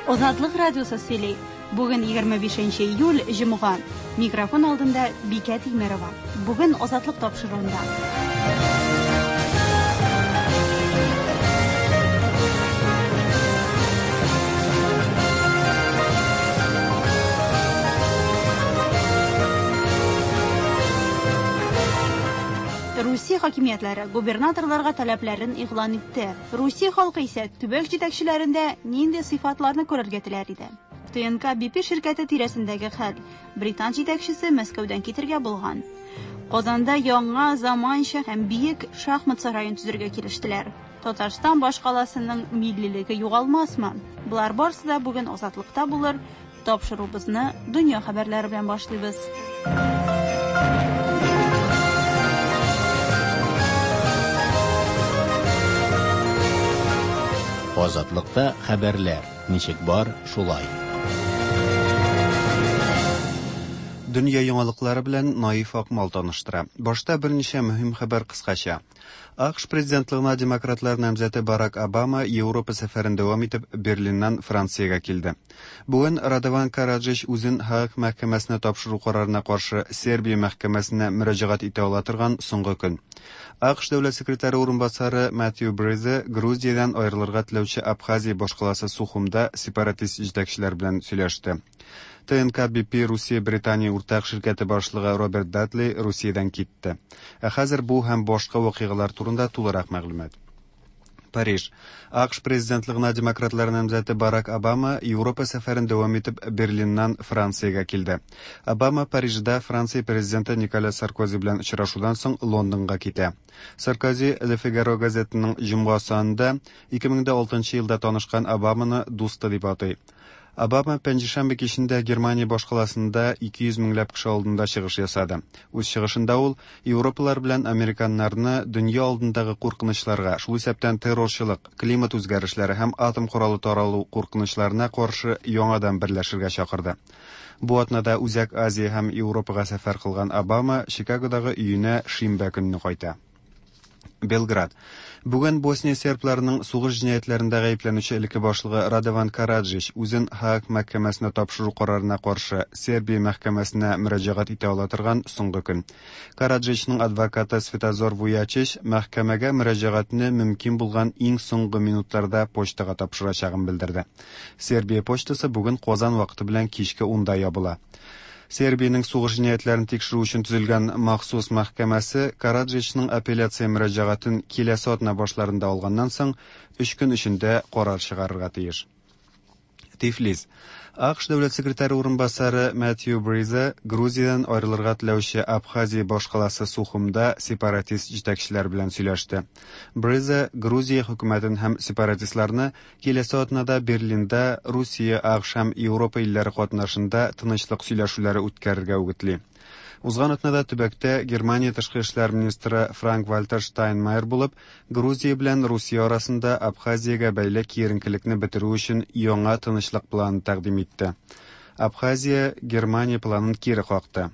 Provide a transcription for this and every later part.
Азатлык радиосы сөйли. Бүген 25 июль, җомга. Микрофон алдында Бикә Тимерова. Бүген Азатлык тапшыруында. Русия хакимиятләре губернаторларга таләпләрен игълан итте. Русия халкы исә төбәк җитәкчеләрендә нинди сыйфатларны күрергә теләр иде? ТНК BP ширкәте тирәсендәге хәл. Британ җитәкчесе Мәскәүдән китергә булган. Казанда яңа, заманча һәм биек шахмат сараен төзергә килештеләр. Татарстан башкаласының миллилеге югалмасмы? Болар барысы да бүген Азатлыкта булыр. Тапшыруыбызны дөнья хәбәрләре белән башлыйбыз. Азатлыкта хәбәрләр ничек бар, шулай. Дөнья яңалыклары белән Наиф Акмал таныштыра. Башта берничә мөһим хәбәр кыскача. АКШ президентлыгына демократлар намзәте Барак Обама Европа сәфәрен дәвам итеп Берлиннан Франциягә килде. Бүген Радован Караджич үзен һааг мәхкәмәсенә тапшыру карарына каршы Сербия мәхкәмәсенә мөрәҗәгать итә ала торган соңгы көн. АКШ дәүләт секретаре урынбасары Матью Брезе Грузиядән аерылырга теләүче Абхазия башкаласы Сухумда сепаратист җитәкчеләр белән сөйләште. ТНК BP Русия-Британия уртак ширкәте башлыгы Роберт Датли Русиядән китте. Ә хәзер бу һәм башка вакыйгалар турында тулырак мәгълүмат. Париж. АКШ президентлыгына демократлар намзәте Барак Обама Европа сәфәрен дәвам итеп Берлиннан Франциягә килде. Обама Парижда Франция президенты Николя Саркози белән очрашудан соң Лондонга китә. Саркози Le Figaro газетының җомга санында 2006 елда танышкан Обаманы дусты дип атый. Обама пәнҗешәмбе кичендә Германия башкаласында 200 меңләп кеше алдында чыгыш ясады. Үз чыгышында ул европалар белән американнарны дөнья алдындагы куркынычларга, шул исәптән террорчылык, климат үзгәрешләре һәм атом коралы таралу куркынычларына каршы яңадан берләшергә чакырды. Бу атнада Үзәк Азия һәм Европага сәфәр кылган Обама Чикагодагы өенә шимбә көнне кайта. Белград. Бүген Босния сербларының сугыш җинаятьләрендә гаепләнүче элекке башлыгы Радован Караджич үзен һааг мәхкәмәсенә тапшыру карарына каршы Сербия мәхкәмәсенә мөрәҗәгать итә ала торган соңгы көн. Караджичның адвокаты Светозор Вуячич мәхкәмәгә мөрәҗәгатьне мөмкин булган иң соңгы минутларда почтага тапшырачагын белдерде. Сербия почтасы бүген Казан вакыты белән кичке 10-да ябыла. Сербиянең сугыш җинаятьләрен тикшерү өчен төзелгән махсус мәхкәмәсе Караджичның апелляция мөрәҗәгатен киләсе атна башларында алганнан соң өч көн эчендә карар чыгарырга тиеш. Тифлис. АКШ дәүләт секретаре урынбасары Мэтью Бризе Грузиядән аерылырга теләүче Абхазия башкаласы Сухумда сепаратист җитәкчеләр белән сөйләште. Бризе Грузия хөкүмәтен һәм сепаратистларны Киләсе атнада Берлинда Русия, АКШ һәм Европа илләре катнашында тынычлык сөйләшүләре үткәрергә үгетли. Узган атнада төбәктә Германия тышкы эшләр министры Франк-Вальтер Штайнмайер булып, Грузия белән Русия арасында Абхазиягә бәйле киеренкелекне бетерү өчен яңа тынычлык планы тәкъдим итте. Абхазия Германия планын кире какты.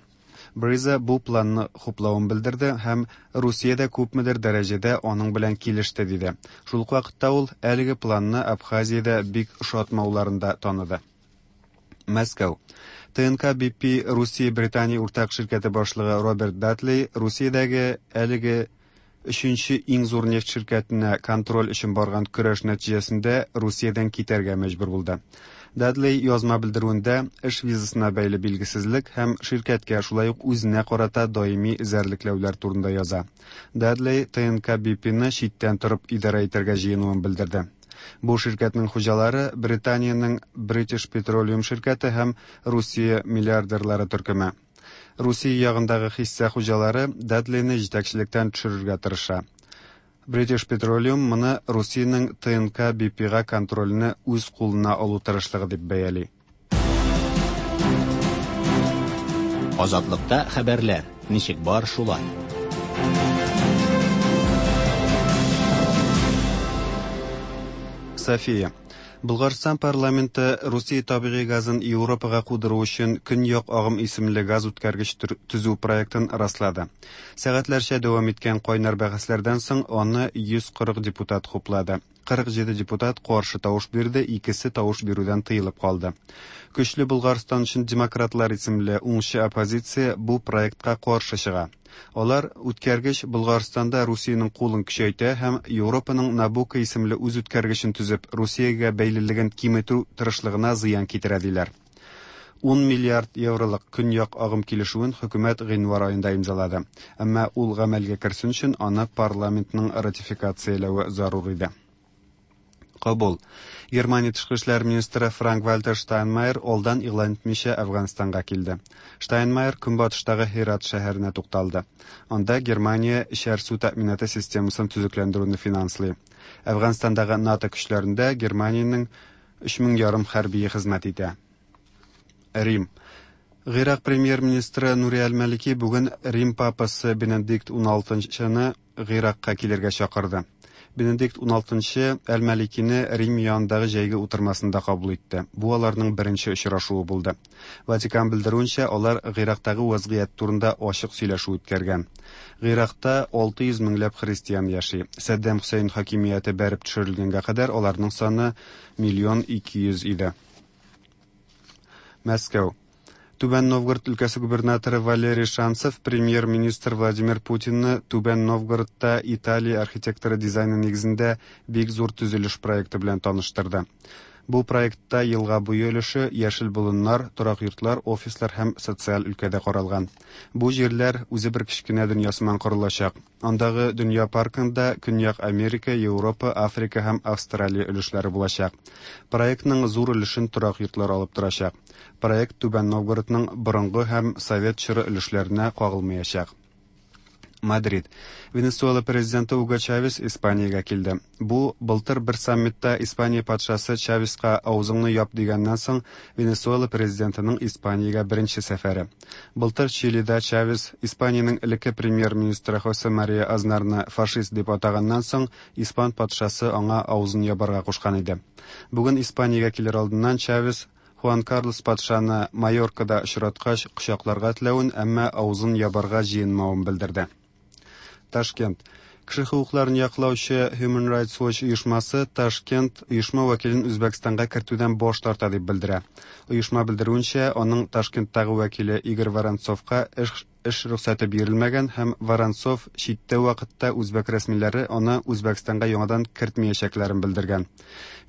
Бриза бу планны хуплавын белдерде һәм Русия дә күпмедер дәрәҗәдә аның белән килеште, диде. Шул ук вакытта ул әлеге планны Абхазиядә бик ошатмауларын да таныды. Мәскәү. ТНК BP Русия-Британия уртак ширкәте башлыгы Роберт Датли Русиядәге әлеге өченче иң зур нефть ширкәтенә контроль өчен барган көрәш нәтиҗәсендә Русиядән китәргә мәҗбүр булды. Дадлей язма белдерүендә эш визасына бәйле билгесезлек һәм ширкәткә шулай ук үзенә карата даими эзәрлекләүләр турында яза. Дадлей ТНК BP-ны читтән торып идарә итәргә җыенуын белдерде. Бу ширкәтнең хуҗалары Британиянең British Petroleum ширкәте һәм Русия миллиардерлары төркеме. Русия ягындагы хисса хуҗалары Дадлейны җитәкчелектән төшерергә тырыша. British Petroleum моны Русиянең ТНК BP-га контрольне үз кулына алу тырышлыгы дип бәяли. Азатлыкта хәбәрләр ничек бар, шулай. София. Болгарстан парламенты Русия табигый газын Европага кудыру өчен Көньяк агым исемле газ үткәргеч төзү проектын раслады. Сәгатьләрчә дәвам иткән кайнар бәхәсләрдән соң аны 140 депутат хуплады. 47 депутат каршы тавыш бирде, икесе тавыш бирүдән тыелып калды. Көчле Болгарстан өчен демократлар исемле уңчы оппозиция бу проектка каршы чыга. Алар үткәргеч Болгарстанда Русиянең кулын көчәйтә һәм Европаның Набуко исемле үз үткәргечен төзеп, Русиягә бәйлелеген киметү тырышлыгына зыян китерә диләр. 10 миллиард евролык Көньяк агым килешүен хөкүмәт гыйнвар аенда имзалады. Әмма ул гамәлгә керсен өчен аны парламентның ратификацияләве зарур иде. Кабул. Германия тышкы эшләр министры Франк-Вальтер Штайнмайер алдан игълан итмичә Әфганстанга килде. Штайнмайер көнбатыштагы Һерат шәһәренә тукталды. Анда Германия эчәр су тәэминаты системасын төзекләндерүне финанслый. Әфганстандагы НАТО көчләрендә Германиянең 3,5 мең хәрбие хезмәт итә. Рим. Гыйрак премьер-министры Нури әл-Малики бүген Рим папасы Бенедикт XVI-ны Гыйракка килергә чакырды. Бенедикт XVI әл-Маликины Рим янындагы җәйге утырмасында кабул итте. Бу аларның беренче очрашуы булды. Ватикан белдерүенчә, алар Гыйрактагы вазгыять турында ачык сөйләшү үткәргән. Гыйракта 600 меңләп христиан яши. Сәддәм Хөсәен хакимияте бәреп төшерелгәнгә кадәр аларның саны 1 200 иде. Мәскәү. Түбән Новгород өлкәсе губернаторы Валерий Шанцев премьер-министр Владимир Путинны Түбән Новгородта Италия архитекторы дизайны нигезендә бик зур төзелеш проекты белән таныштырды. Бу проектта елга буе өлеше, яшел болыннар, торак йортлар, офислар һәм социаль өлкәдә каралган. Бу җирләр үзе бер кечкенә дөнья сыман корылачак. Андагы дөнья паркында Көньяк Америка, Европа, Африка һәм Австралия өлешләре булачак. Проектның зур өлешен торак йортлар алып торачак. Проект Түбән Новгородның борынгы һәм совет чоры өлешләренә кагылмаячак. Мадрид. Венесуэла президенты Уго Чавес Испаниягә килде. Бу былтыр бер саммитта Испания патшасы Чавеска авызыңны яп дигәннән соң Венесуэла президентының Испаниягә беренче сәфәре. Былтыр Чилида Чавес Испаниянең элекке премьер-министры Хосе Мария Азнарны фашист дип атаганнан соң испан патшасы аңа авызын ябарга кушкан иде. Бүген Испаниягә килер алдыннан Чавес Хуан Карлос патшаны Майоркада очраткач кочакларга теләвен, әмма авызын ябарга җыенмавын белдерде. Ташкент. Кеше хокукларын яклаучы Human Rights Watch оешмасы Ташкент оешма вәкилен Үзбәкстанга кертүдән баш тарта дип белдерә. Оешма белдерүенчә, аның Ташкенттагы вәкиле Игорь Воронцовка эш эш рөхсәте бирелмәгән һәм Воронцов читтә вакытта үзбәк рәсмиләре аны Үзбәкстанга яңадан кертмәячәкләрен белдергән.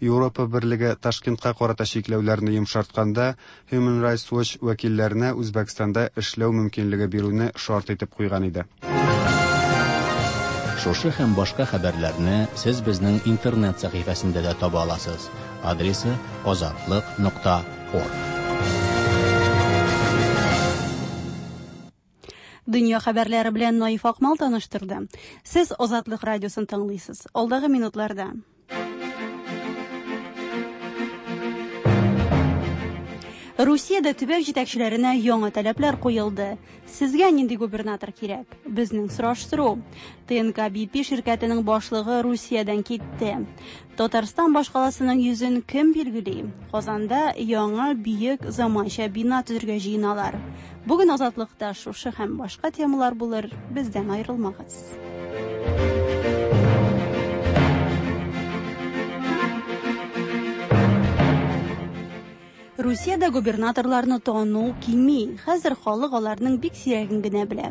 Европа берлеге Ташкентка карата чикләүләрне йомшартканда Human Rights Watch вәкилләренә Үзбәкстанда эшләү мөмкинлеге бирүне шарт итеп куйган иде. Шушы һәм башка хәбәрләрне сез безнең интернет сәхифәсендә дә таба аласыз. Адресы azatliq.org. Дөнья хәбәрләре белән Наиф Акмал таныштырды. Сез Азатлык радиосын тыңлыйсыз. Алдагы минутларда Русиядә төбәк җитәкчеләренә яңа таләпләр куелды. Сезгә нинди губернатор кирәк? Безнең сораштыру. ТНК BP ширкәтенең башлыгы Русиядән китте. Татарстан башкаласының йөзен кем билгели? Казанда яңа биек заманча бина төзергә җыеналар. Бүген Азатлыкта шушы һәм башка темалар булыр. Бездән аерылмагыз. Русиядә губернаторларны тану кими. Хәзер халык аларның бик сирәген генә белә.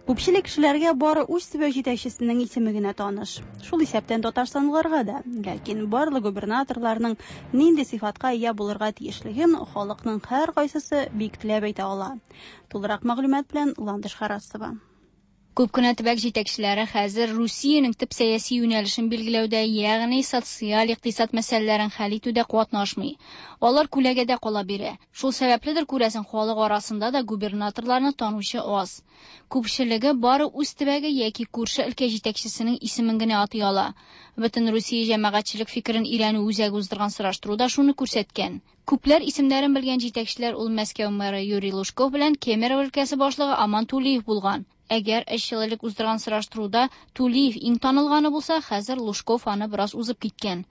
Күпчелек кешеләргә бары үз төбәк җитәкчесенең исеме генә таныш. Шул исәптән татарстанлыларга да. Ләкин барлык губернаторларның нинди сыйфатка ия булырга тиешлеген халыкның һәркайсысы бик теләп әйтә ала. Тулырак мәгълүмат белән Ландыш Харасова. Күп кенә төбәк җитәкчеләре хәзер Русиянең төп сәяси юнәлешен билгеләүдә, ягъни социаль икътисад мәсьәләләрен хәл итүдә катнашмый. Алар күләгәдә кала бирә. Шул сәбәпледер күрәсең, халык арасында да губернаторларны танучы аз. Күпчелеге бары үз төбәге яки күрше өлкә җитәкчесенең исемен генә атый ала. Бөтен Русия җәмәгатьчелек фикерен өйрәнү үзәге уздырган сораштыру да шуны күрсәткән. Күпләр исемнәрен белгән җитәкчеләр ул Мәскәү мэры Юрий Лужков белән Кемерово өлкәсе башлыгы Аман Тулиев булган. Әгәр өч ел элек уздырган сораштыруда Тулиев иң танылганы булса, хәзер Лужков аны бераз узып киткән.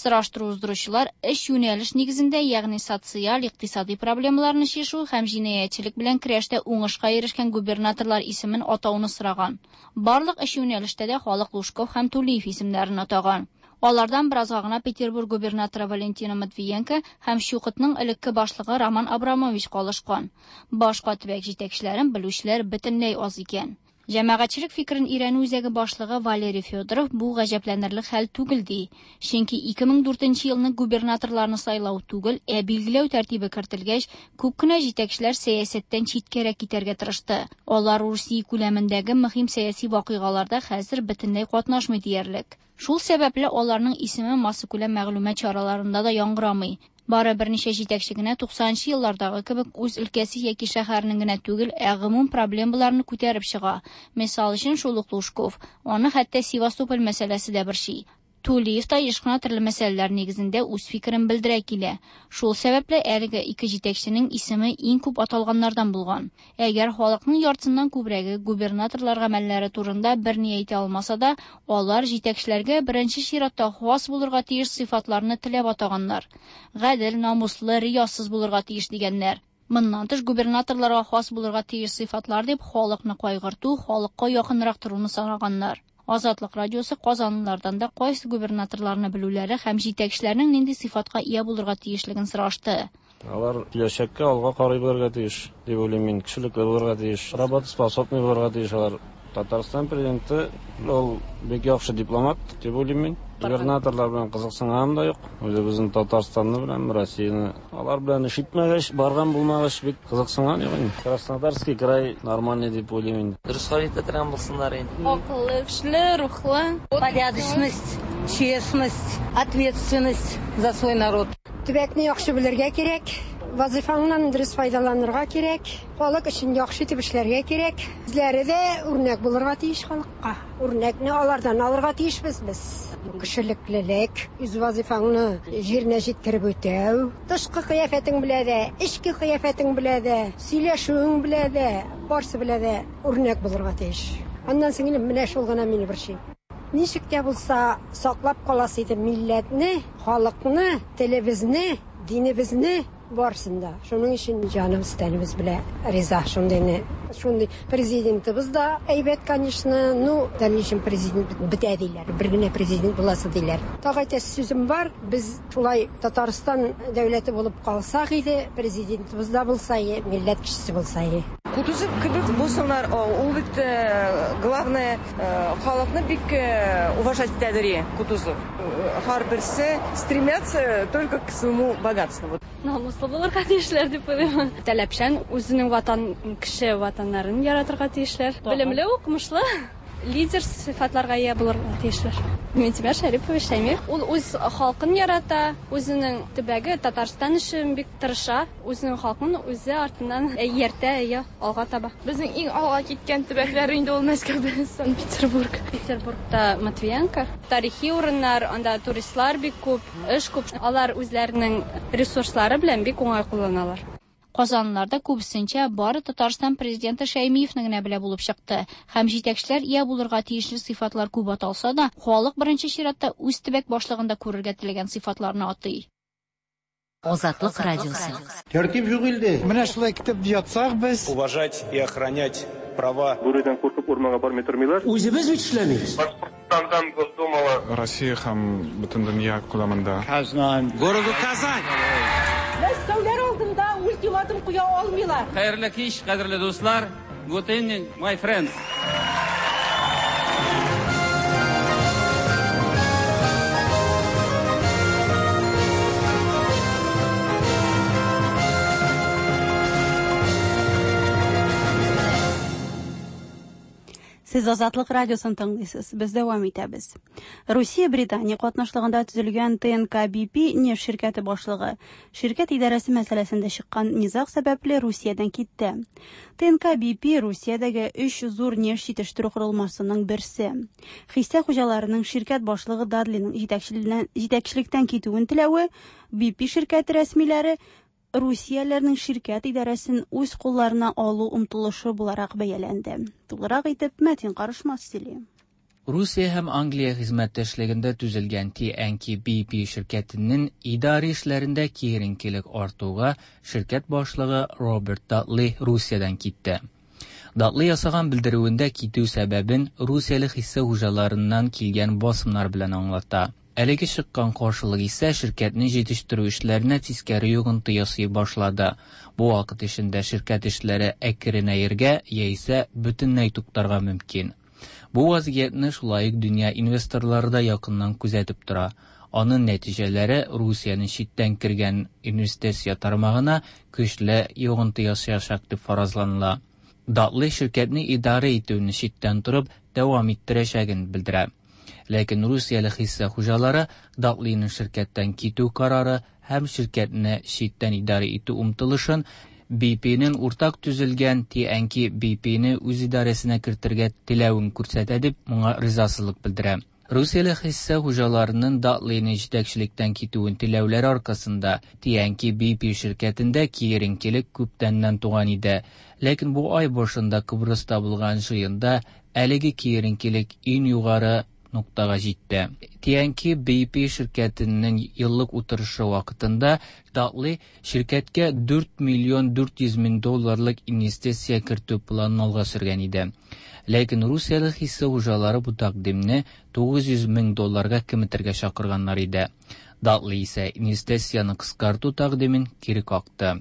Сораштыру уздыручылар өч юнәлеш нигезендә, ягъни социаль, икътисади проблемаларны чишү һәм җинаятьчелек белән көрәштә уңышка ирешкән губернаторлар исемен атауны сораган. Барлык өч юнәлештә дә халык Лужков һәм Тулиев исемнәрен атаган. Алардан беразга гына Петербург губернаторы Валентина Матвиенко һәм ЧУКТның элекке башлыгы Роман Абрамович калышкан. Башка төбәк җитәкчеләрен белүчеләр бөтенләй аз икән. Җәмәгатьчелек фикерен өйрәнү үзәге башлыгы Валерий Федоров бу гаҗәпләнерлек хәл түгел ди. Чөнки 2004 елны губернаторларны сайлау түгел, ә билгеләү тәртибе кертелгәч, күп кенә җитәкчеләр сәясәттән читкәрәк китәргә тырышты. Алар Русия күләмендәге мөһим сәяси вакыйгаларда хәзер бөтенләй катнашмый диярлек. Шул сәбәпле аларның исеме массакүләм мәгълүмат чараларында да яңгырамый. Бары берничә җитәкче генә 90нчы еллардагы кебек үз өлкәсе яки шәһәренең генә түгел, ә гомум проблемаларны күтәреп чыга. Мисал өчен, шул ук Лужков. Аны хәтта Севастополь мәсьәләсе дә борчый. Тулиев та еш кына төрле мәсьәләләр нигезендә үз фикерен белдерә килә. Шул сәбәпле әлеге ике җитәкченең исеме иң күп аталганнардан булган. Әгәр халыкның яртысыннан күбрәге губернаторлар гамәлләре турында берни әйтә алмаса да, алар җитәкчеләргә беренче чиратта хас булырга тиеш сыйфатларны теләп атаганнар. Гадел, намуслы, риясыз булырга тиеш дигәннәр. Моннан тыш губернаторларга хас булырга тиеш сыйфатлар дип халыкны кайгырту, халыкка якынрак торуны санаганнар. Азатлык радиосы казанлылардан да кайсы губернаторларны белүләре һәм җитәкчеләрнең нинди сыйфатка ия булырга тиешлеген сорашты. Алар киләчәккә алга карый белергә тиеш, дип уйлыйм мин. Кешелекле булырга тиеш, работоспособный булырга тиеш алар. Татарстан президенты ул бик яхшы дипломат, дип уйлыйм мин. Губернаторлар белән кызыксынганым да юк. Үзебезнең Татарстанны беләм, Россияне. Алар белән эш итмәгәч, барган булмагач, бик кызыксынган юк инде. Краснодарский край нормальный дип уйлыйм инде. Дөрес хәл итә торган булсыннар инде. Акыллы, көчле, рухлы. Порядочность, честность, ответственность за свой народ. Төбәкне яхшы белергә кирәк, вазифаңнан дөрес файдаланырга кирәк, халык өчен яхшы итеп эшләргә кирәк. Үзләре дә үрнәк булырга тиеш халыкка. Үрнәкне алардан алырга тиешбез без. Кешелеклелек, үз вазифаңны җиренә җиткереп үтәү, тышкы кыяфәтең белә дә, эчке кыяфәтең белә дә, сөйләшүең белә дә, барсы белә дә үрнәк булырга тиеш. Аннан соң инде менә шул гына мине борчый. Ничек тә булса саклап каласы иде милләтне, халыкны, телебезне, динебезне барсын да. Шуның өчен җаныбыз, тәнебез белә риза шундыйны. Шундый президентыбыз да әйбәт, конечно, ну, дальнейшем президент бетә диләр. Бер генә президент буласы диләр. Тагы әйтәсе сүзем бар, без шулай Татарстан дәүләте булып калсак иде, президентыбыз да булса, милләт кешесе булса. Кутузов кебек булсыннар, ул бит главное халыкны бик уважать итәдер Кутузов. Һәрберсе стремятся только к своему богатству. Намуслы булырга тиешләр дип уйлыйм. Таләпчән, үзенең ватан, кеше ватаннарын яратырга тиешләр. Белемле, укымышлы, лидер сыйфатларга ия булырга тиешләр. Минтимер Шәрипович Шәймиев, ул үз халкын ярата, үзенең төбәге Татарстан өчен бик тырыша, үзенең халкын үзе артыннан ияртә, әйе, алга таба. Безнең иң алга киткән төбәкләр инде ул Мәскәү белән Санкт-Петербург. Петербургта Матвиенко. Тарихи урыннар, анда туристлар бик күп, эш күп. Алар үзләренең ресурслары белән бик уңай кулланалар. Казанлыларда күбесенчә бары Татарстан президенты Шәймиевне генә белә булып чыкты. Һәм җитәкчеләр ия булырга тиешле сыйфатлар күп аталса да, халык беренче чиратта үз төбәк башлыгында күрергә теләгән сыйфатларны атый. Азатлык радиосы. Тәртип юк илдә. Менә шулай китеп ятсак без. Уважать и охранять права. Бүредән куркып урманга бармый тормыйлар. Үзебез бит эшләмибез. Башкортстандан Госдумала. Россия һәм бөтен дөнья күләмендә. Казан. Городу Казань. Мәскәүләр алдында ультиматум куя алмыйлар. Хәерле кич, кадерле дуслар. Good evening, my friends. Сез Азатлык радиосын тыңлыйсыз. Без дәвам итәбез. Русия Британия катнашлыгында төзелгән ТНК-BP нефть ширкәте башлыгы ширкәт идарәсе мәсьәләсендә чыккан низаг сәбәпле Русиядән китте. ТНК-BP Русиядәге 3 зур нефть җитештерү корылмасының берсе. Хисса хуҗаларының ширкәт башлыгы Дадлиның җитәкчелектән китүен теләве BP ширкәте рәсмиләре Русияләрнең ширкәт идарәсен үз кулларына алу омтылышы буларак бәяләнде. Тулырак итеп Мәтин Карышмас сөйли. Русия һәм Англия хезмәттәшлегендә төзелгән TNK-BP ширкәтенең идарә эшләрендә киеренкелек артуга ширкәт башлыгы Роберт Датли Русиядән китте. Датли ясаган белдерүендә китү сәбәбен русияле хисса хуҗаларыннан килгән басымнар белән аңлата. Әлеге чыккан каршылык исә ширкәтнең җитештерү эшләренә тискәре йогынты ясый башлады. Бу вакыт эчендә ширкәт эшләре әкренәергә яисә бөтенләй туктарга мөмкин. Бу вазгыятьне шулай ук дөнья инвесторлары да якыннан күзәтеп тора. Аның нәтиҗәләре Русиянең читтән кергән инвестиция тармагына көчле йогынты ясаячак дип фаразланыла. Датлы ширкәтне идарә итүне читтән торып дәвам иттерәчәген белдерә. Ләкин русияле хисса хуҗалары Датлиның ширкәттән китү карары һәм ширкәтне читтән идарә итү омтылышын BP-нең уртак төзелгән TNK-BP-не үз идарәсенә кертергә теләвен күрсәтә дип моңа ризасызлык белдерә. Русияле хисса хуҗаларының Датлиның җитәкчелектән китүен теләүләре аркасында TNK-BP ширкәтендә киеренкелек күптәннән туган иде. Ләкин бу ай башында Кыбрыста булган җыенда әлеге киеренкелек иң югары ноктага җитте. TNK-BP ширкәтенең еллык утырышы вакытында Датлы ширкәткә 4 миллион 400 мең долларлык инвестиция кертү планын алга сөргән иде. Ләкин русияле хисса хуҗалары бу тәкъдимне 900 мең долларга киметергә чакырганнар иде. Датлы исә инвестицияне кыскарту тәкъдимен кире какты.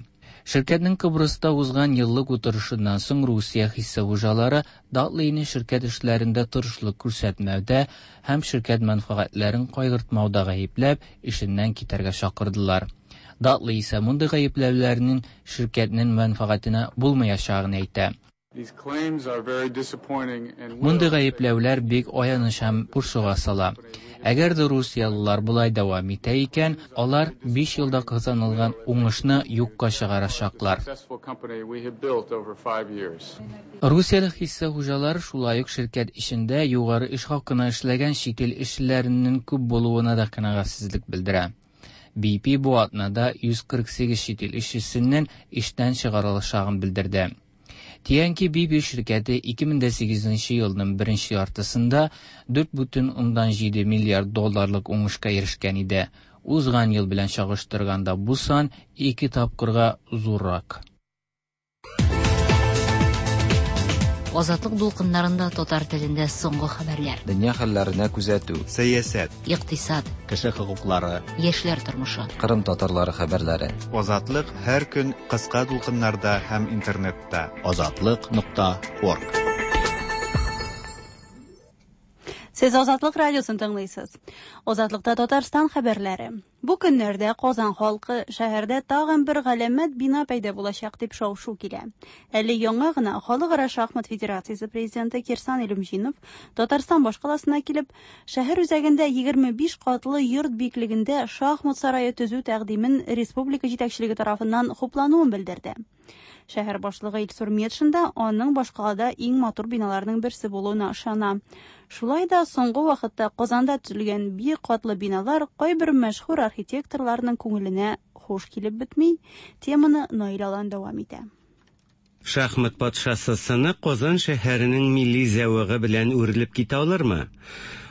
Ширкәтнең Кыбрыста узган еллык утырышыннан соң Русия хисса хуҗалары Датлыйны ширкәт эшләрендә тырышлык күрсәтмәүдә һәм ширкәт мәнфәгатьләрен кайгыртмауда гаепләп, эшеннән китәргә чакырдылар. Датлы исә мондый гаепләүләрнең ширкәтнең мәнфәгатенә булмаячагын әйтә. Мондый гаепләүләр бик аяныч һәм борчуга сала. Әгәр дә русиялылар болай дәвам итә икән, алар 5 елда казанылган уңышны юкка чыгарачаклар. Русияле хисса хуҗалары шулай ук ширкәт эчендә югары эш хакына эшләгән чит ил эшчеләренең күп булуына да канәгатьсезлек белдерә. BP бу атнада 148 чит ил эшчесенең эштән чыгарылачагын белдерде. TNK-BP ширкәте 2008 елның беренче яртысында 4,7 миллиард долларлык уңышка ирешкән иде. Узган ел белән чагыштырганда бу сан ике тапкырга зуррак. Азатлык дулкыннарында татар телендә соңгы хәбәрләр. Дөнья хәлләренә күзәтү. Сәясәт. Икътисад. Кеше хокуклары. Яшьләр тормышы. Кырым татарлары хәбәрләре. Азатлык һәр көн кыска дулкыннарда һәм интернетта. Азатлык.орг. Сез Азатлык радиосын тыңлыйсыз. Азатлыкта Татарстан хәбәрләре. Бу көннәрдә Казан халкы шәһәрдә тагын бер галәмәт бина пәйда булачак дип шау-шу килә. Әле яңа гына Халыкара шахмат федерациясе президенты Кирсан Илюмжинов Татарстан башкаласына килеп, шәһәр үзәгендә 25 катлы йорт биеклегендә шахмат сарае төзү тәкъдимен республика җитәкчелеге тарафыннан хуплануын белдерде. Шәһәр башлыгы Илсур Метшин да аның башкалада иң матур биналарның берсе булуына ышана. Шулай да соңгы вакытта Казанда төзелгән биек катлы биналар кайбер мәшһүр архитекторларның күңеленә хуш килеп бетми. Теманы Наил Алан дәвам итә. Шахмат патшасы сыны Казан шәһәренең милли зәвыгы белән үрелеп китә алырмы?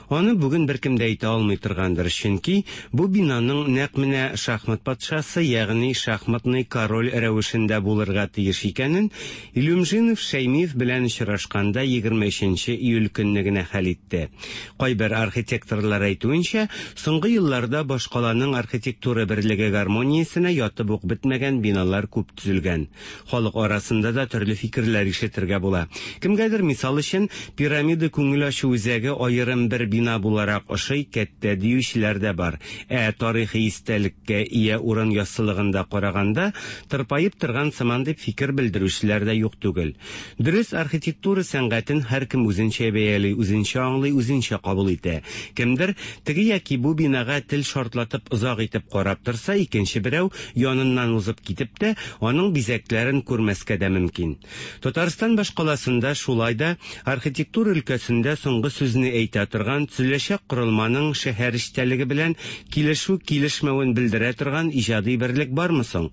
Аны бүген беркем дә әйтә алмый торгандыр, чөнки бу бинаның нәкъ менә шахмат патшасы, ягъни шахматный король рәвешендә булырга тиеш икәнен Илюмжинов Шәймиев белән очрашканда 23 июль көнне генә хәл итте. Кайбер архитекторлар әйтүенчә, соңгы елларда башкаланың архитектура берлеге гармониясенә ятып ук бетмәгән биналар күп төзелгән. Халык арасында да төрле фикерләр ишетергә була. Кемгәдер, мисал өчен, пирамида күңел ачу үзәге аерым бер бина буларак ошый, кәттә диючеләр дә бар. Ә тарихи истәлеккә ия урын яссылыгында караганда, тырпаеп торган сыман дип фикер белдерүчеләр дә юк түгел. Дөрес, архитектура сәнгатен һәркем үзенчә бәяли, үзенчә аңлый, үзенчә кабул итә. Кемдер теге яки бу бинага тел шартлатып озак итеп карап торса, икенче берәү яныннан узып китеп тә, аның бизәкләрен күрмәскә дә мөмкин. Татарстан башкаласында шулай да архитектура өлкәсендә соңгы сүзне әйтә торган төзеләчәк корылманың шәһәр эчтәлеге белән килешү-килешмәвен белдерә торган иҗади берлек бармы соң?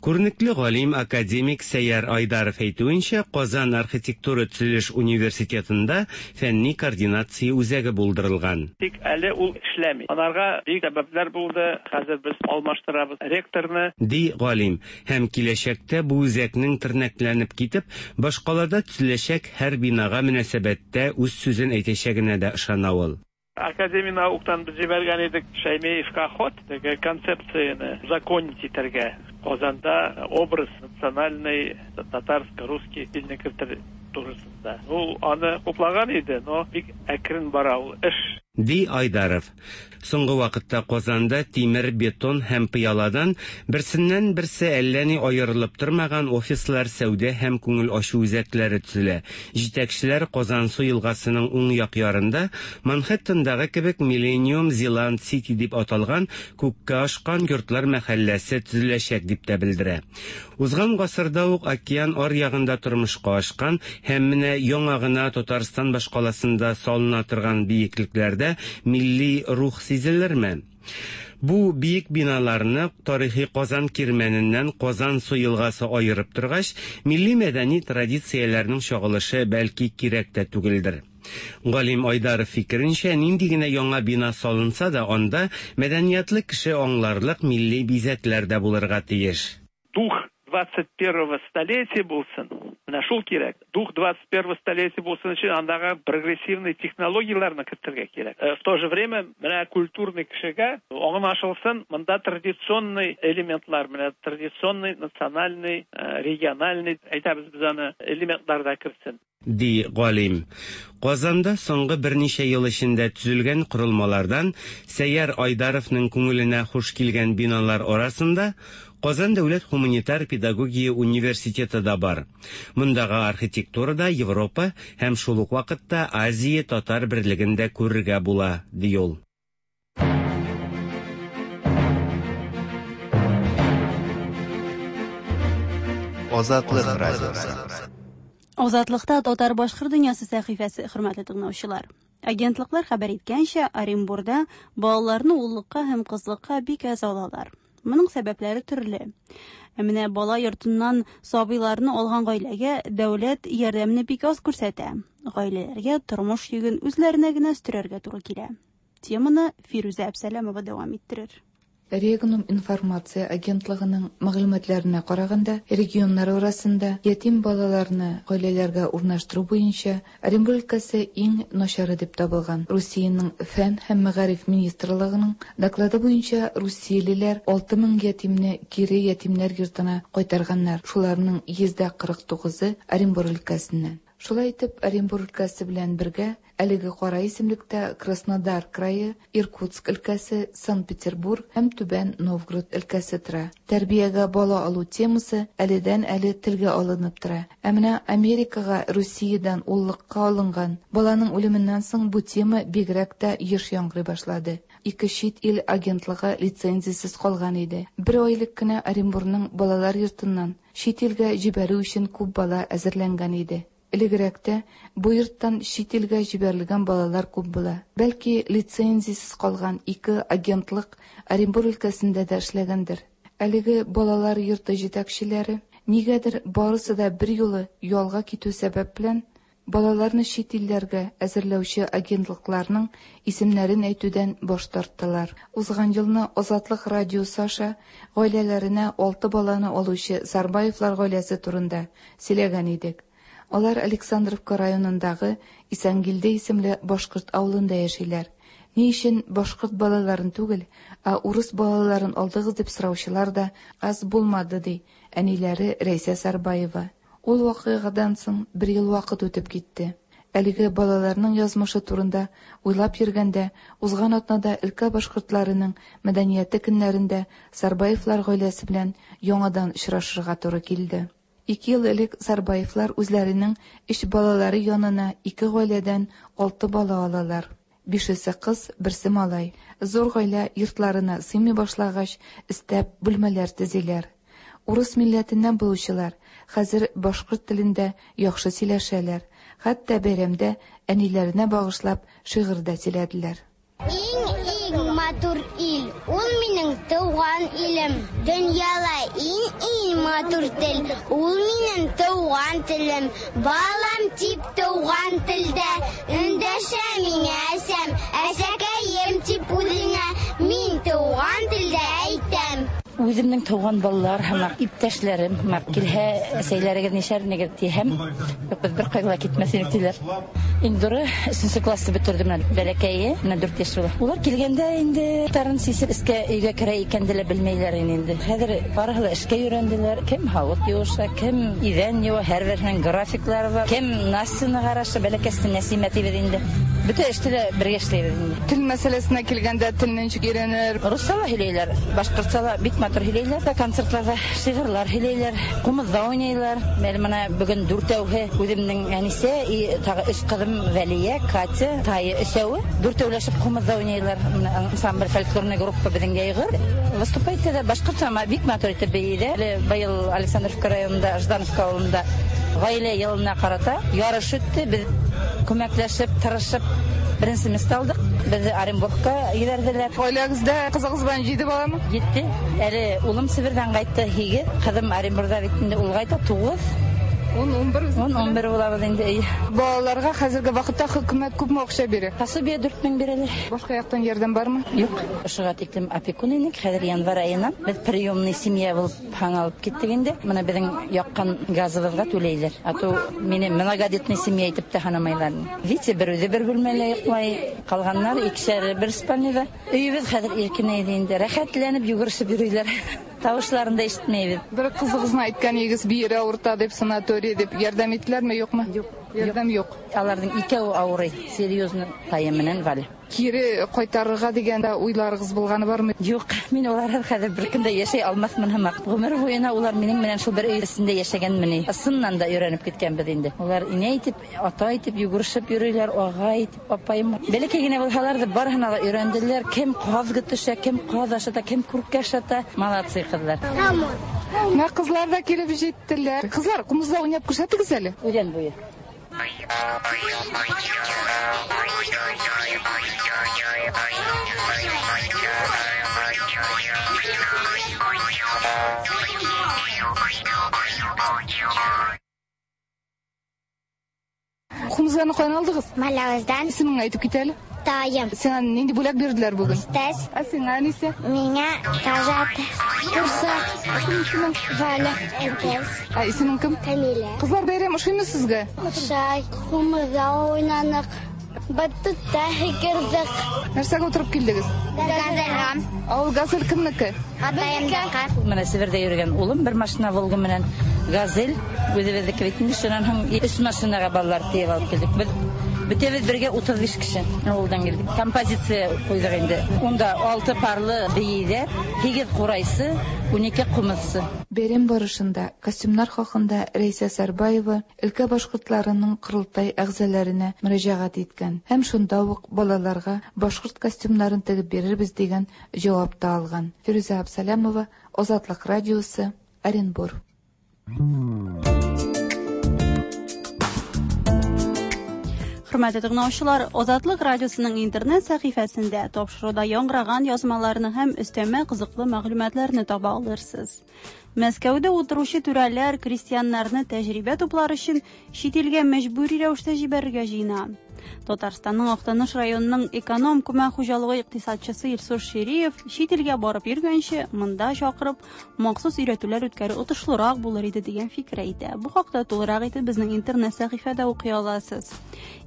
Күренекле галим, академик Сәйяр Айдаров әйтүенчә, Казан архитектура төзелеш университетында фәнни координация үзәге булдырылган. Тик әле ул эшләми. Анарга бик сәбәпләр булды. Хәзер без алмаштырабыз ректорны. Ди галим. Һәм киләчәктә бу үзәкнең тернәкләнеп китеп, башкалада төзеләчәк һәр бинага мөнәсәбәттә үз сүзен әйтәчәгенә дә ышана ул. Академия науктан без җибәргән идек Шәймиевка хат, теге концепцияне узаконить итәргә. Казанда образ национальный татарско-русский телне кертер турысында. Ул аны хуплаган иде, но бик әкрен бара ул эш. Ди Айдаров. Соңгы вакытта Казанда тимер, бетон һәм пыяладан берсеннән-берсе әллә ни аерылып тормаган офислар, сәүдә һәм күңел ачу үзәкләре төзелә. Җитәкчеләр Казансу елгасының уң як ярында Манхэттендагы кебек Миллениум Зеланд Сити дип аталган күккә ашкан йортлар мәхәлләсе төзеләчәк дип тә белдерә. Узган гасырда ук океан аръягында тормышка ашкан һәм менә яңа гына Татарстан башкаласында салына торган биеклекләрдә милли рух сизелерме? Бу биек биналарны тарихи Казан Кирмәненнән Казансу елгасы аерып торгач, милли-мәдәни традицияләрнең чагылышы бәлки кирәк тә түгелдер. Галим Айдаров фикеренчә, нинди генә яңа бина салынса да, анда мәдәниятле кеше аңларлык милли бизәкләр дә булырга тиеш. Дух 21 столетия булсын, менә шул кирәк. Дух 21 столетия булсын өчен андагы прогрессивный технологияләрне кертергә кирәк. В то же время менә культурный кешегә аңлашылсын, монда традиционный элементлар, менә традиционный, национальный, региональный, әйтәбез без аны, элементлар да керсен. Ди галим. Казанда соңгы берничә ел эчендә төзелгән корылмалардан Сәйяр Айдаровның күңеленә хуш килгән биналар арасында Казан дәүләт һуманитар педагогия университеты да бар. Мондагы архитектурада Европа һәм шул ук вакытта Азия татар берлеген дә күрергә була, ди ул. Азатлык радиосы. Азатлыкта татар-башкорт дөньясы сәхифәсе, хөрмәтле тыңлаучылар. Агентлыклар хәбәр иткәнчә, Оренбурда балаларны уллыкка һәм кызлыкка бик әз алалар. Моның сәбәпләре төрле. Ә менә бала йортыннан сабыйларны алган гаиләгә дәүләт ярдәмне бик аз күрсәтә. Гаиләләргә тормыш йөген үзләренә генә өстерәргә туры килә. Теманы Фирүзә Әбсәләмова дәвам иттерер. Регнум информация агентлыгының мәгълүматларына караганда, регионнар арасында ятим балаларны гаиләләргә урнаштыру буенча Оренбург өлкәсе иң начары дип табылган. Русиянең Фән һәм мәгариф министрлыгының доклады буенча русиялеләр 6000 ятимне кире ятимнәр йортына кайтарганнар, шуларның 49%-ы Оренбург өлкәсеннән. Шулай итеп, Оренбург өлкәсе белән бергә әлеге кара исемлектә Краснодар крае, Иркутск өлкәсе, Санкт-Петербург һәм Түбән Новгород өлкәсе тора. Тәрбиягә бала алу темасы әледән-әле телгә алынып тора. Ә менә Америкага Русиядән уллыкка алынган баланың үлеменнән соң бу тема бигрәк тә еш яңгырый башлады. Ике чит ил агентлыгы лицензиясез калган иде. Бер ай элек кенә Оренбурның балалар йортыннан чит илгә җибәрү өчен күп бала әзерләнгән иде. Элегрәк тә бу йорттан чит илгә җибәрелгән балалар күп була. Бәлки, лицензиясез калган ике агентлык Оренбур өлкәсендә дә эшләгәндер. Әлеге балалар йорты җитәкчеләре, нигәдер барысы да берьюлы ялга китү сәбәп белән, балаларны чит илләргә әзерләүче агентлыкларның исемнәрен әйтүдән баш тарттылар. Узган елны Азатлык радиосы аша гаиләләренә алты баланы алучы Сарбаевлар гаиләсе турында сөйләгән идек. Алар Александровка районындагы Исәнгилде исемле башкорт авылында яшиләр. Ни өчен башкорт балаларын түгел, ә урыс балаларын алдыгыз дип сораучылар да аз булмады, ди әниләре Рәйсә Сарбаева. Ул вакыйгадан соң бер ел вакыт үтеп китте. Әлеге балаларның язмышы турында уйлап йөргәндә, узган атнада өлкә башкортларының мәдәнияте көннәрендә Сарбаевлар гаиләсе белән яңадан очрашырга туры килде. Ике ел элек Сарбаевлар үзләренең өч балалары янына ике гаиләдән алты бала алалар. Бишесе кыз, берсе малай. Зур гаилә йортларына сыймый башлагач, өстәп бүлмәләр төзиләр. Урыс милләтеннән булучылар хәзер башкорт телендә яхшы сөйләшәләр, хәтта бәйрәмдә әниләренә багышлап шигырь дә сөйләделәр. Иң-иң матур ил, ул минем туган илем. Дөньяда иң-иң матур тел, ул минем туган телем. Балам дип туган телдә эндәшә миңа әсәм, әсәкәем дип үзеңә мин туган телдә әйтәм. Үземнең туган балалар һәм иптәшләрем һәм килһә, әсәйләрегез ничәрнегез тиһәм, юк, без бер кайда китмәс идек диләр. Индуры өченче классты бетерде менә бәләкәе, менә 4 яшь була. Улар килгәндә инде тарын сисеп эскә өйгә керә икән дә белмәйләр инде. Хәзер барысы да эшкә өйрәнделәр. Кем һавыт юыша, кем идән юа, һәрберсенең графиклары бар. Кем Настяны караша, бәләкәсен Нәсимә дибез инде. Бөтә эштә дә бергә эшләйбез инде. Тел мәсьәләсенә килгәндә, телне ничек өйрәнер? Русча да һөйләйләр, башкортча да бик матур һөйләйләр. Концертларда шигырьләр һөйләйләр, кумызда уйныйлар. Әле менә бүген дүртәүһе үземнең әнисе и тагы өч кызым Вәлия, Катя, Тая өчәүе. Дүртәүләшеп кумызда уйныйлар. Менә ансамбль фольклорный группа безнең Яйгыр. Выступать итә башкортча бик матур итеп бии. Әле быел Александровка районында, Ждановка авылында гаилә елына карата ярыш үтте. Без күмәкләшеп, тырышып беренче место алдык. Безне Оренбургка җибәрделәр. Гаиләгездә кызыгыз белән 7 баламы? 7. Әле улым Себердән кайтты, 8. Кызым Оренбургда бит инде, ул кайта 9. 10, 11. 10, 11 булабыз инде. Балаларга хәзерге вакытта хөкүмәт күпме акча бирә? Пособие 4000 бирәләр. Башка яктан ярдәм бармы? Юк. Ошыга тиклем опекун идек. Хәзер январь аена без приемный семья булып алып киттек инде. Менә безнең яккан газыбызга түләйләр. А то мине многодетный семья итеп тә санамайлар. Витя бер үзе бер бүлмәлә йоклый, калганнар икешәр бер спальныйда. Өебез хәзер иркенәйде инде. Рәхәтләнеп йөгерешеп йөриләр. Тавышларын да ишетмәйбез. Бер кызыгызны әйткән идегез, бире авырта дип, санаторий дип, ярдәм иттеләрме, юкмы? Юк. Ярдәм юк. Аларның икәүе авырый, серьезно, Тая менән Валя. Кире кайтарырга дигән дә уйларыгыз булганы бармы? Юк, мин улар хәзер бер көндә яшәй алмасмын һәм гомер буена улар минем белән шул бер өй эчендә яшәгән мени. Ысыннан да өйрәнеп киткәнбез инде. Улар инә итеп, ата итеп йөгерешеп йөриләр, ага итеп, апаем. Бәләкәй генә булһалар да барыһына да өйрәнделәр. Кем каз көтешә, кем каз ашата, кем күркә ашата. Молодцы кызлар. Менә кызлар да килеп җиттеләр. Кызлар, кумызда уйнап күрсәтегез әле. Үлән буе. Кумызларны каян алдыгыз? Малавыздан. Исемеңне әйтеп кит әле. Таем. Сиңа нинди бүләк бирделәр бүген? Тәс. Ә сиңа әнисе? Миңа кажат. Курсак. Исемең? Валя. Әнтәс. Ә исемең кем? Камилә. Кызлар, бәйрәм ошыймы сезгә? Ошай. Кумызда уйнанык. Батутта һикердек. Нәрсәгә утырып килдегез? Газельга. Ә ул газель кемнеке? Атаемныкы. Менә Себердә йөргән улым бер машина Волга менән газель үзебезнеке бит инде. Шуннан һәм өч машинага балалар тиеп алып килдек. Без бөтәбез бергә 35 кеше авылдан килдек. Композиция куйдык инде. Унда 6 парлы бейдә, 8 курайсы, 12 кумызсы. Бәйрәм барышында костюмнар хакында Рәйсә Сарбаева өлкә башкортларының корылтай әгъзаларына мөрәҗәгать иткән һәм шунда ук балаларга башкорт костюмнарын тегеп бирербез дигән җавап та алган. Фирүзә Абсалямова, Азатлык радиосы, Оренбур. Хөрмәтле тыңлаучылар, Азатлык радиосының интернет сәхифәсендә тапшыруда яңгыраган язмаларны һәм өстәмә кызыклы мәгълүматларны таба алырсыз. Мәскәүдә утыручы түрәләр крестьяннарны тәҗрибә туплар өчен чит илгә мәҗбүри рәвештә җибәрергә җыена. Татарстанның Актаныш районының эконом күмәк хуҗалыгы икътисадчысы Илсур Шириев чит илгә барып йөргәнче монда чакырып махсус өйрәтүләр үткәрү отышлырак булыр иде дигән фикер әйтә. Бу хакта тулырак итеп безнең интернет сәхифәдә укый аласыз.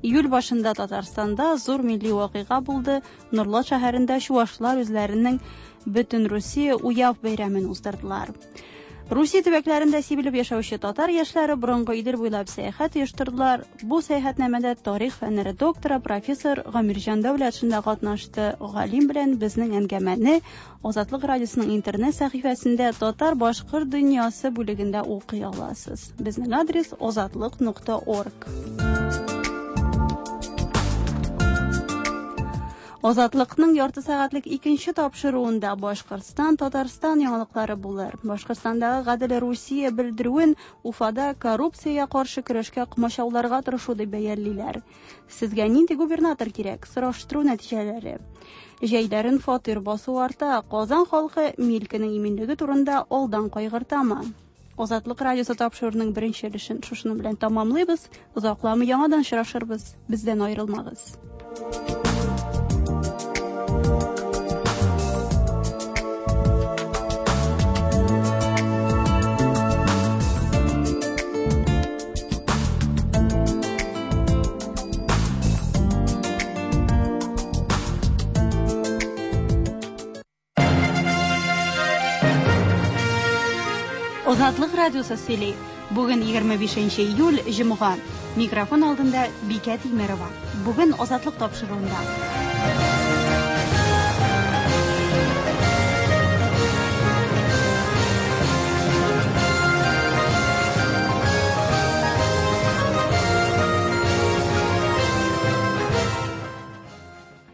Июль башында Татарстанда зур милли вакыйга булды. Нурлат шәһәрендә чувашлар үзләренең Бөтен Русия Уяв бәйрәмен уздырдылар. Русия төбәкләрендә сибелеп яшәүче татар яшьләре борынгы Идел буйлап сәяхәт оештырдылар. Бу сәяхәтнамәдә тарих фәннәре докторы профессор Гамирҗан Дәүләтшин дә катнашты. Галим белән безнең әңгәмәне Азатлык радиосының интернет сәхифәсендә Татар-башкорт дөньясы бүлегендә укый аласыз. Безнең адрес azatliq.org. Азатлыкның ярты сәгатьлек икенче тапшыруында Башкортстан, Татарстан яңалыклары булыр. Башкортстандагы Гадел Русия белдерүен Уфада коррупциягә каршы көрәшкә комачауларга тырышу дип бәялиләр. Сезгә нинди губернатор кирәк? Сораштыру нәтиҗәләре. Җәйләрен фатир басу арта, Казан халкы милкенең иминлеге турында алдан кайгыртамы? Азатлык радиосы тапшыруының беренче өлешен шушының белән тамамлыйбыз. Озакламый яңадан очрашырбыз. Бездән аерылмагыз. Азатлык радиосы сөйли. Бүген 25 июль, җомга. Микрофон алдында Бикә Тимерова. Бүген Азатлык тапшыруында.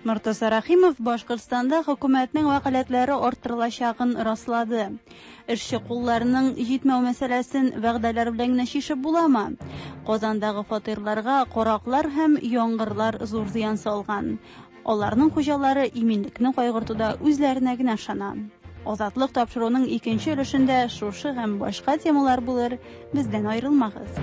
Мортаза Рәхимов Башкортстанда хөкүмәтнең вәкаләтләре арттырылачагын раслады. Эшче кулларының җитмәү мәсьәләсен вәгъдәләр белән генә чишеп буламы? Казандагы фатирларга караклар һәм яңгырлар зур зыян салган. Аларның хуҗалары иминлекне кайгыртуда үзләренә генә ышана. Азатлык тапшыруының икенче өлешендә шушы һәм башка темалар булыр. Бездән аерылмагыз.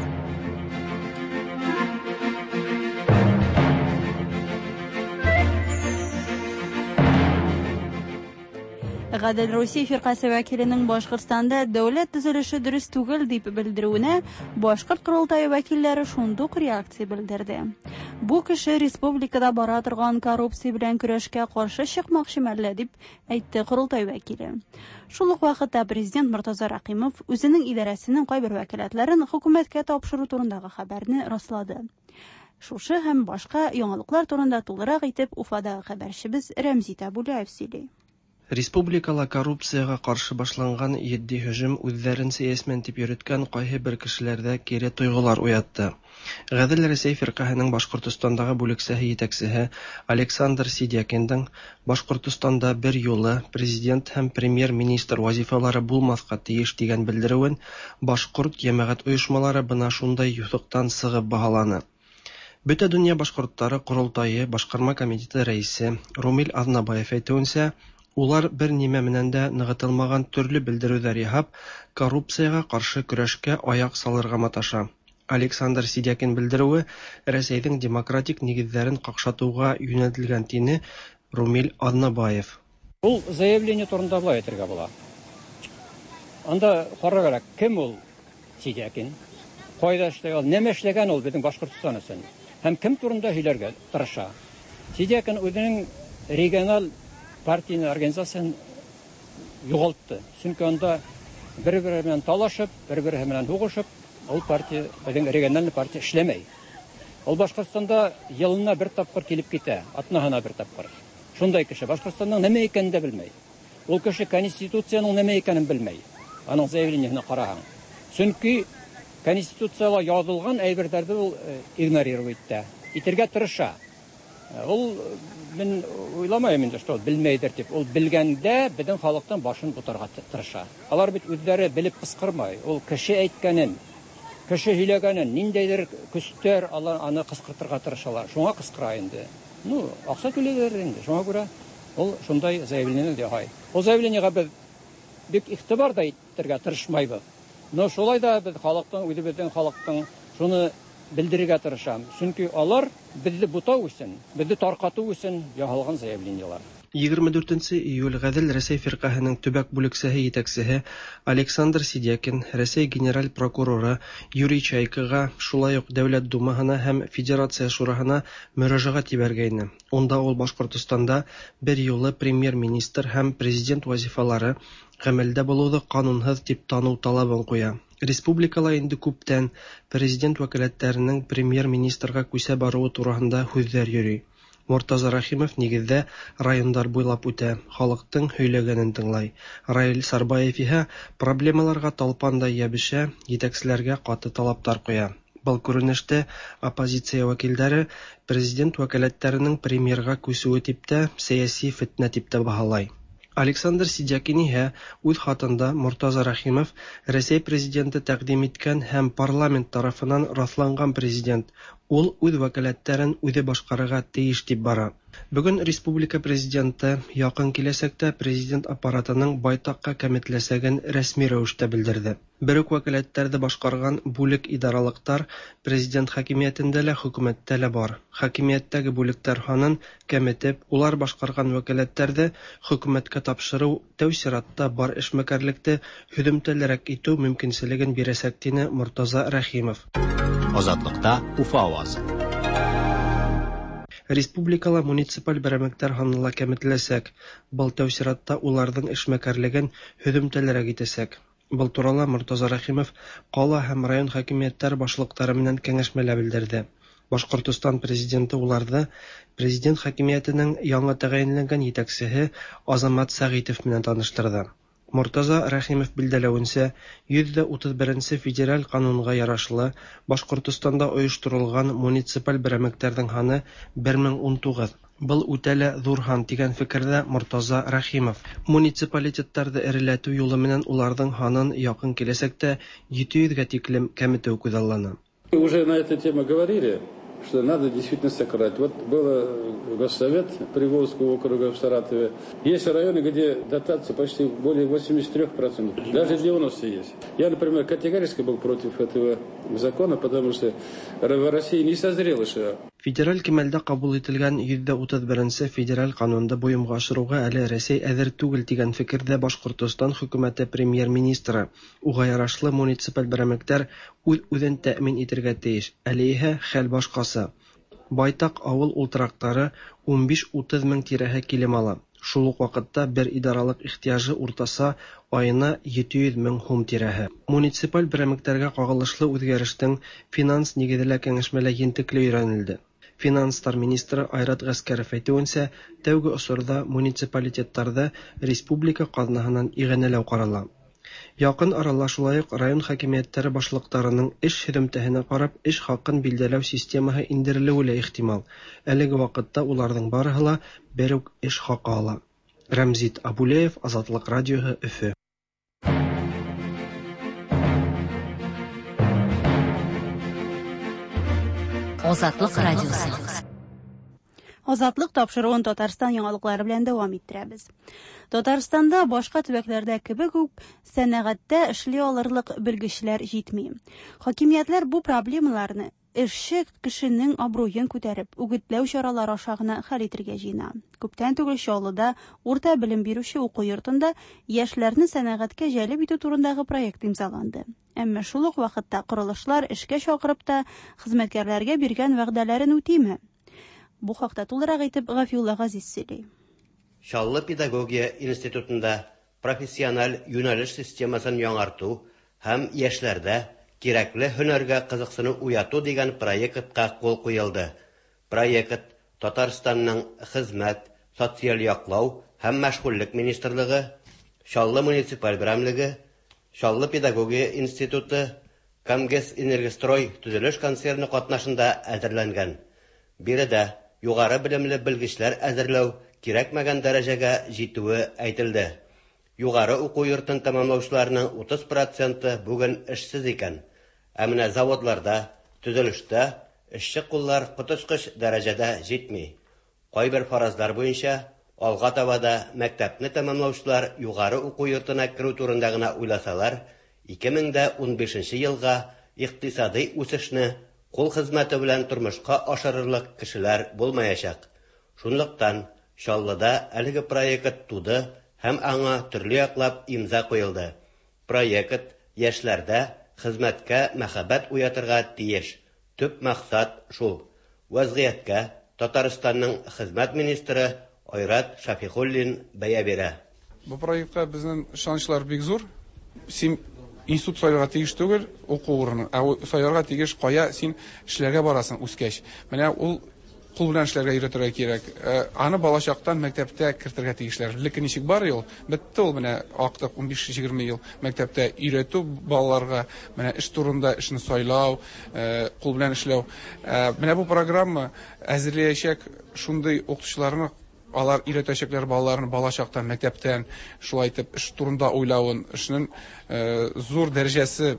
Гадел Русия фиркасе вәкиленең Башкортстанда дәүләт төзелеше дөрес түгел дип белдерүенә Башкорт корылтае вәкилләре шундук реакция белдерде. Бу кеше республикада бара торган коррупция белән көрәшкә каршы чыкмакчы мәллә дип әйтте корылтай вәкиле. Шул ук вакытта президент Мортаза Рәхимов үзенең идарәсенең кайбер вәкаләтләрен хөкүмәткә тапшыру турындагы хәбәрне раслады. Шушы һәм башка яңалыклар турында тулырак итеп Уфадагы хәбәрчебез Рәмзи Табуляев сөйли. Республикала коррупциягә каршы башланган етди һөҗүм үзләрен сәясмән дип йөрткән кайһы бер кешеләрдә кире тойгылар уятты. Гадел Рәсәй фиркаһының Башкортостандагы бүлексәһе җитәкчесе Александр Сидякиндың Башкортостанда бер юлы президент һәм премьер-министр вазифалары булмаска тиеш дигән белдерүен башкорт җәмәгать оешмалары бына шундай юҫыктан сыгып баһаланы. Бөтә дөнья башкортлары корылтае башкарма комитеты рәисе Румил Азнабаев әйтүенчә, улар бер нимә менән дә ныгытылмаган төрле белдерүләр яһап, коррупциягә каршы көрәшкә аяк салырга маташа. Александр Сидякин белдерүе Рәсәйнең демократик нигезләрен какшатуга юнәлтелгән тине Румил Азнабаев. Ул заявление турында былай әйтергә була. Анда карарга кирәк, кем ул Сидякин? Кайда эшләгән ул? Нәмә эшләгән ул безнең Башкортстан өчен? Һәм кем турында һөйләргә тырыша? Сидякин үзенең региональ партийный организациясен югалтты. Чөнки анда бер-бере белән талашып, бер-бере белән һугышып, ул партия, безнең региональный партия эшләмәй. Ул Башкортстанда елына бер тапкыр килеп китә, атнаһына бер тапкыр. Шундай кеше Башкортстанның нәмә икәнен дә белмәй. Ул кеше конституциянең нәмә икәнен белмәй. Аның заявлениесенә караһаң. Чөнки конституцияда язылган әйберләрне ул игнорировать итә. Итергә тырыша. Ул мин уйламыйм инде, что ул белмәйдер дип. Ул белгәндә безнең халыктан башын бутарга тырыша. Алар бит үзләре белеп кыскырмай. Ул кеше әйткәнен, кеше һөйләгәнен, ниндәйдер көстәр алар аны кыскыртырга тырышалар. Шуңа кыскыра инде. Ну, акча түлиләр инде. Шуңа күрә ул шундай заявление яһай. Ул заявлениега без бик игътибар да итәргә тырышмайбыз. Но шулай да без халыктың, үзебезнең халыктың шуны белдерергә тырышам. Чөнки алар безне бутау өчен, безне таркату өчен яһалган заявлениелар. 24 июль Гадел Рәсәй фиркаһының төбәк бүлексәһе җитәкчесе Александр Сидякин Рәсәй генераль прокуроры Юрий Чайкага, шулай ук Дәүләт Думаһына һәм Федерация Шураһына мөрәҗәгать җибәргәйне. Унда ул Башкортстанда бер юлы премьер-министр һәм президент вазифалары гамәлдә булуды канунһыз дип тану талабын куя. Республикала инде күптән президент вәкаләтләренең премьер-министрга күчә баруы турысында һүҙҙәр йөрөй. Мортаза Рәхимов нигеҙҙә райондар буйлап үтә, халыҡтың һөйләгәнен тыңлай. Раил Сарбаев иһә проблемаларға талпандай йәбешә, етәкселәргә ҡаты талаптар ҡуя. Был күренеште оппозиция вәкилдәре президент вәкаләттәренең премьерға күсеүе тип тә, сәйәси фетнә тип тә баһалай. Александр Сидякин иһә үҙ хатында Мортаза Рәхимов Рәсәй президенты тәҡдим иткән һәм парламент тарафынан раҫланған президент, ул үҙ вәкаләттәрен үҙе башҡарырға тейеш тип бара. Бөгөн республика президенты яҡын киләсәктә президент аппаратының байтаҡҡа кәметләсәген рәсми рәүештә белдерҙе. Бер үк вәкаләттәрҙе башҡарған бүлек идаралыҡтар президент хакимиәтендә лә, хөкүмәттә лә бар. Хакимиәттәге бүлектәр һанын кәметеп, улар башҡарған вәкаләттәрҙе хөкүмәткә тапшырыу тәү сиратта бар эшмәкәрлекте һөҙөмтәлерәк итеү мөмкинселеген бирәсәк, тине Мортаза Рәхимов. Азатлыкта Уфа авазы. Республикала муниципаль берәмлектәр һаны ла кәметеләсәк. Был тәү сиратта уларҙың эшмәкәрлеген һөҙөмтәлерәк итәсәк. Был турала Мортаза Рәхимов кала һәм район хакимиятләре башлыклары менән кәңәшмәлә белдерде. Башкортостан президенты уларны президент хакимиятенең яңа тәгаенләнгән җитәкчеһе Азамат Сәгыйтов менән таныштырды. Мортаза Рәхимов билдәләвенчә, 131 нче федераль канунга ярашлы, Башкортостанда оештырылган муниципаль берәмлекләрнең һаны 1019. Был үтә лә зур һан, дигән фикердә Мортаза Рәхимов. Муниципалитетларны эреләтү юлы менән уларның һанын якын киләчәктә 700 гә тиклем кәметү күзаллана. Уже на эту тему говорили, что надо действительно сократить. Вот был госсовет Приволжского округа в Саратове. Есть районы, где дотация почти более 83%, даже 90% есть. Я, например, категорически был против этого закона, потому что в России не созрело еще. Федераль кимәлдә кабул ителгән 131 нче федераль канунды буемга ашыруга әле Рәсәй әзер түгел дигән фикердә Башкортостан хөкүмәте премьер-министры. Уга ярашлы муниципаль берәмлекләр үз-үзен тәэмин итергә тиеш, әле иһә хәл башкасы. Байтак авыл ултырактары 15-30 мең тирәһе килем ала. Шул ук вакытта бер идаралык ихтыяҗы уртаса аена 700 мең һум тирәһе. Муниципаль берәмлекләргә кагылышлы үзгәрештең финанс нигезе лә кәңәшмәлә ентекле өйрәнелде. Финанслар министры Айрат Гаскәров әйтүенчә, тәүге осырда муниципалитетларда республика казнаһынан иганәләү карала. Якын арала шулай ук район хакимиятләре башлыкларының эш һөҙөмтәһенә карап эш хакын билдәләү системаһы индерелеүе лә ихтимал. Әлеге вакытта уларның барыһы ла бер үк эш хакы ала. Рәмзит Абулеев, Азатлык радиоһы, Өфө. Азатлык радиосы. Азатлык тапшыруын Татарстан яңалыклары белән дәвам иттерәбез. Татарстанда башка төбәкләрдә кебек үк сәнәгатьтә эшли алырлык белгечләр җитми. Хакимиятләр бу проблемаларны эшче кешенең абруен күтәреп, үгетләү чаралары аша гына хәл итергә җыена. Күптән түгел Чаллыда урта белем бирүче уку йортында яшьләрне сәнәгатькә җәлеп итү турындагы проект имзаланды. Әмма шул ук вакытта корылышлар эшкә чакырып та хезмәткәрләргә биргән вәгъдәләрен үтиме? Бу хакта тулырак итеп Гафиулла Газиз сөйли. Чаллы педагогия институтында профессиональ юнәлеш системасын яңарту һәм яшьләрдә кирәкле һөнәргә кызыксыну уяту дигән проектка кул куелды. Проект Татарстанның Хезмәт, социаль яклау һәм мәшгульлек министрлыгы, Чаллы муниципаль берәмлеге, Чаллы педагогия институты, Камгэсэнергострой төзелеш концерны катнашында әзерләнгән. Биредә югары белемле белгечләр әзерләү кирәкмәгән дәрәҗәгә җитүе әйтелде. Югары уку йортын тәмамлаучыларның 30 проценты бүген эшсез икән. Ә менә заводларда, төзелештә эшче куллар коточкыч дәрәҗәдә җитми. Кайбер фаразлар буенча, алга таба да мәктәпне тәмамлаучылар югары уку йортына керү турында гына уйласалар, 2015 елга икътисадый үсешне кул хезмәте белән тормышка ашырырлык кешеләр булмаячак. Шунлыктан Чаллыда әлеге проект туды һәм аңа төрле яклап имза куелды. Проект яшьләрдә хезмәткә мәхәббәт уятырга тиеш. Төп максат шул. Вәзгыятькә Татарстанның хезмәт министры Айрат Шәфигуллин бәя бирә. Бу проектка безнең ышанычлар бик зур. Син институт сайларга тиеш түгел, уку урыны, ә сайларга тиеш кая син эшләргә барасың үскәч. Менә ул кул белән эшләргә өйрәтергә кирәк. Аны балачактан мәктәптә кертергә тиешләр. Элекке ничек бар ел, бетте ул менә актык 15-20 ел мәктәптә өйрәтү балаларга, менә эш турында, эшне сайлау, кул белән эшләү. Менә бу программа әзерләячәк шундый укытучыларны, алар өйрәтәчәкләр балаларны балачактан, мәктәптән шулай итеп эш турында уйлавын, эшнең зур дәрәҗәсе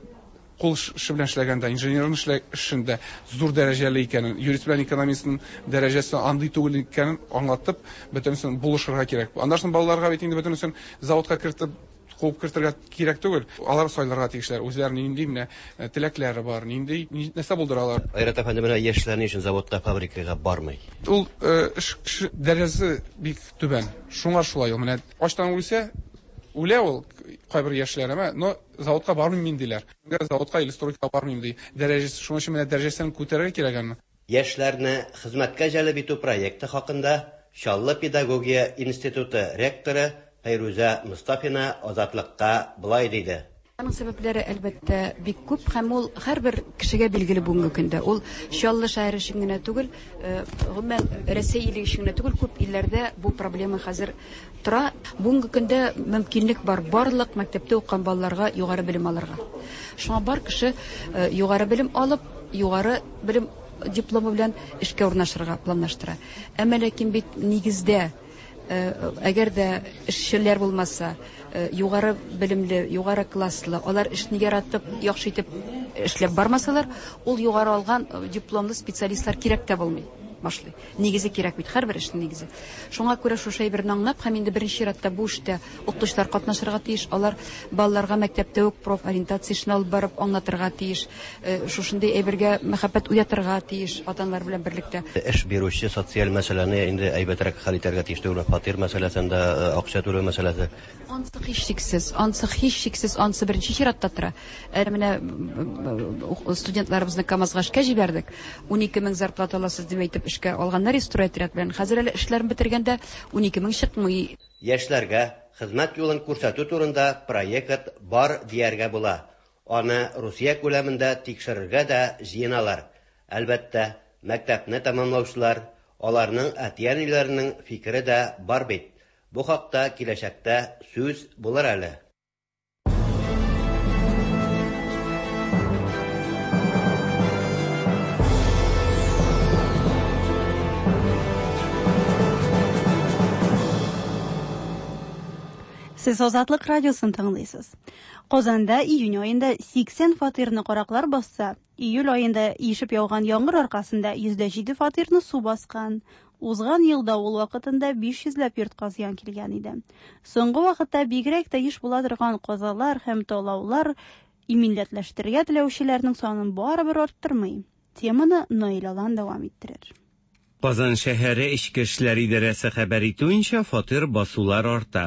кул эше белән эшләгәндә, инженерның эшендә зур дәрәҗәле икәнен, юрист белән экономистның дәрәҗәсе андый түгел икәнен аңлатып, бөтенесен булышырга кирәк. Аннан соң балаларга бит инде бөтенесен заводка кертеп, куып кертергә кирәк түгел. Алар сайларга тиешләр, үзләренең нинди менә теләкләре бар, нинди нәрсә булдыралар. Айрат әфәнде, менә яшьләр ни өчен заводка, фабрикага бармый? Ул эш дәрәҗәсе бик түбән. Шуңа шулай ул. Менә ачтан үлсә, үлә ул кайбер яшьләр, әмма, но заводка бармыйм мин диләр. Заводка или стройкага бармыйм ди. Дәрәҗәсе, шуның өчен менә дәрәҗәсен күтәрергә кирәк аны. Яшьләрне хезмәткә җәлеп итү проекты хакында Чаллы педагогия институты ректоры Фәйрүзә Мостафина Азатлыкка болай диде. Аның сәбәпләре, әлбәттә, бик күп һәм ул һәрбер кешегә билгеле бүгенге көндә. Ул Чаллы шәһәре өчен генә түгел, гомумән, Рәсәй иле өчен генә түгел, күп илләрдә бу проблема хәзер тора. Бүгенге көндә мөмкинлек бар барлык мәктәптә укыган балаларга югары белем алырга. Шуңа бар кеше югары белем алып, югары белем дипломы белән эшкә урнашырга планлаштыра. Әмма ләкин бит нигездә Әгәр дә эшчеләр булмаса, югары белемле, югары класслы, алар эшне яратып, яхшы итеп эшләп бармасалар, ул югары алган дипломлы специалистлар кирәк тә булмый башлый. Нигезе кирәк бит, һәрбер эшнең нигезе. Шуңа күрә шушы әйберне аңлап һәм инде беренче чиратта бу эштә укытучылар катнашырга тиеш, алар балаларга мәктәптә үк профориентация эшен алып барып аңлатырга тиеш, шушындый әйбергә мәхәббәт уятырга тиеш ата-аналар белән берлектә. Эш бирүче социаль мәсьәләне инде әйбәтрәк хәл итәргә тиеш түгелме? Фатир мәсьәләсен дә, акча түләү мәсьәләсе. Ансы һичшиксез, ансы һичшиксез, ансы беренче чиратта тора. Әле менә студентларыбызны КАМАЗга эшкә җибәрдек. 12 мең зарплата аласыз дип әйтеп эшкә алганнар стройотряд белән. Хәзер әле эшләрен бетергәндә 12 мең чыкмый. Яшьләргә хезмәт юлын күрсәтү турында проект бар дияргә була. Аны Русия күләмендә тикшерергә дә җыеналар. Әлбәттә, мәктәпне тәмамлаучылар, аларның әти-әниләренең фикере дә бар бит. Бу хакта киләчәктә сүз булыр әле. Сез Азатлык радиосын тыңлыйсыз. Казанда июнь аенда 80 фатирны караклар басса, июль аенда ишеп яуган яңгыр аркасында 107 фатирны су баскан. Узган ел давыл вакытында 500 ләп йортка зыян килгән иде. Соңгы вакытта бигрәк тә еш була торган казалар һәм талаулар иминиятләштерергә теләүчеләрнең санын барыбер арттырмый. Теманы Наил Алан дәвам иттерер. Казан шәһәре Эчке эшләр идарәсе хәбәр итүенчә, фатир басулар арта.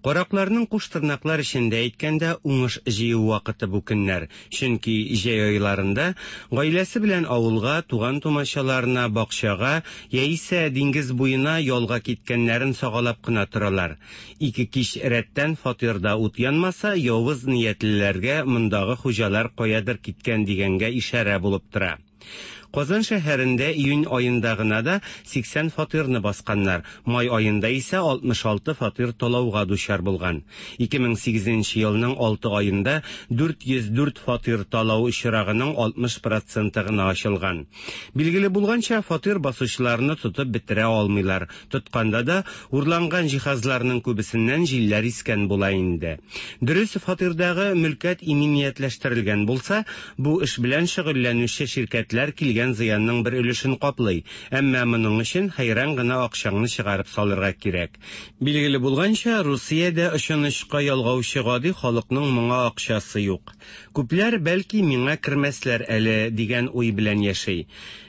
Каракларның куш тырнаклар эчендә әйткәндә, уңыш җыю вакыты бу көннәр. Чөнки җәй айларында гаиләсе белән авылга, туган-тумачаларына, бакчага, яисә диңгез буена ялга киткәннәрен сагалап кына торалар. Ике кич рәттән фатирда ут янмаса, явыз ниятлеләргә мондагы хуҗалар каядыр киткән дигәнгә ишарә булып тора. Казан шәһәрендә июнь аенда гына да 80 фатирны басканнар, май аенда исә 66 фатир талауга дучар булган. 2008 елның 6 аенда 404 фатир талау очрагының 60 проценты гына ачылган. Билгеле булганча, фатир басучыларны тотып бетерә алмыйлар. Тотканда да, урланган җиһазларның күбесеннән җилләр искән була инде. Дөрес, фатирдагы мөлкәт иминиятләштерелгән булса, бу эш белән шөгыльләнүче ширкәтләр килгән зыянның бер өлешен каплый. Әмма моның өчен хәйран гына акчаңны чыгарып салырга кирәк. Билгеле булганча, Русиядә очын-очка ялгаучы гади халыкның моңа акчасы юк. Күпләр, бәлки, миңа кермәсләр әле, дигән уй белән яши.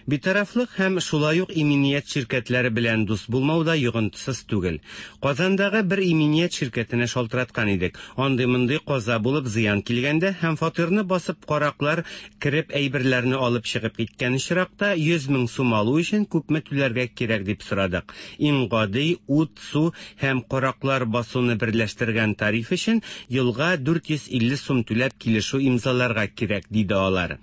Битарафлык һәм шулай ук иминият ширкәтләре белән дус булмау да йогынтысыз түгел. Казандагы бер иминият ширкәтенә шалтыраткан идек. Андый-мондый каза булып зыян килгәндә һәм фатирны басып караклар кереп әйберләрне алып чыгып киткән очракта 100 мең сум алу өчен күпме түләргә кирәк дип сорадык. Иң гади, ут, су һәм караклар басуны берләштергән тариф өчен елга 450 сум түләп килешү имзаларга кирәк, диде алар.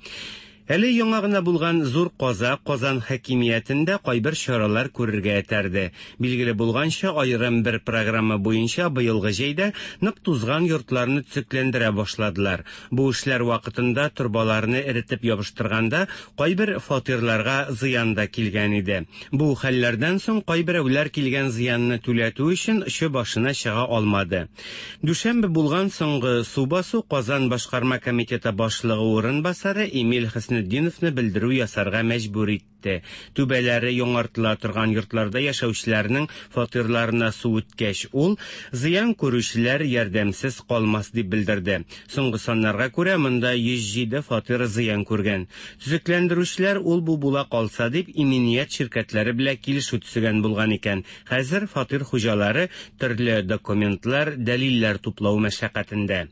Әле яңа гына булган зур каза Казан хакимиятен дә кайбер чаралар күрергә этәрде. Билгеле булганча, аерым бер программа буенча быелгы җәйдә нык тузган йортларны төзекләндерә башладылар. Бу эшләр вакытында торбаларны эретеп ябыштырганда кайбер фатирларга зыян да килгән иде. Бу хәлләрдән соң кайберәүләр килгән зыянны түләтү өчен очы башына чыга алмады. Дүшәмбе булган соңгы су басу Казан башкарма комитеты башлыгы урынбасары Эмиль Хөснетдиновны белдерү ясарга мәҗбүр итте. Түбәләре яңартыла торган йортларда яшәүчеләрнең фатирларына су үткәч, ул зыян күрүчеләр ярдәмсез калмас дип белдерде. Соңгы саннарга күрә, монда 107 фатир зыян күргән. Төзекләндерүчеләр ул-бу була калса дип иминият ширкәтләре белән килешү төзегән булган икән. Хәзер фатир хуҗалары төрле документлар, дәлилләр туплау мәшәкатендә.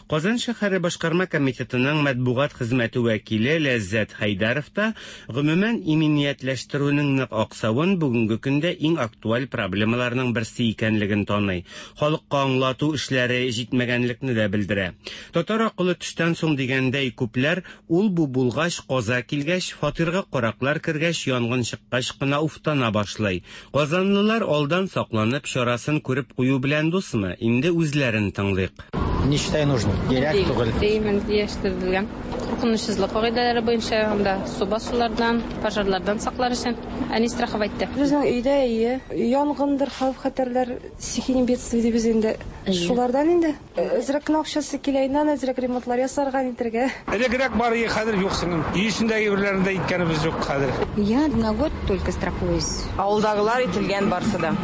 Казан шәһәре башкарма комитетының матбугат хезмәте вәкиле Ләззәт Хәйдәров та, гомумән, иминиятләштерүнең нык аксавын бүгенге көндә иң актуаль проблемаларның берсе икәнлеген таный. Халыкка аңлату эшләре җитмәгәнлекне дә белдерә. Татар акылы төштән соң дигәндәй, күпләр ул-бу булгач, каза килгәч, фатирга караклар кергәч, янгын чыккач кына уфтана башлый. Казанлылар алдан сакланып, чарасын күреп кую белән дусмы? Инде үзләрен тыңлыйк. Не считаю нужным. Кирәк түгел. Иминиятләштерелгән. Куркынычсызлык кагыйдәләре буенча анда су басулардан, пожарлардан саклар өчен әни страховать итте. Безнең өйдә әйе, янгындыр, хәвеф-хәтәрләр, стихийный бедствие дибез инде. Шулардан инде. Әзрәк кенә акчасы килә, иннән әзрәк ремонтлар ясарга, нитәргә. Элегрәк бар иде, хәзер юк сеңлем. Өй эчендәге әйберләрне дә иткәнебез юк хәзер. Я на год только страхуюсь. Авылдагылар ителгән барсы да.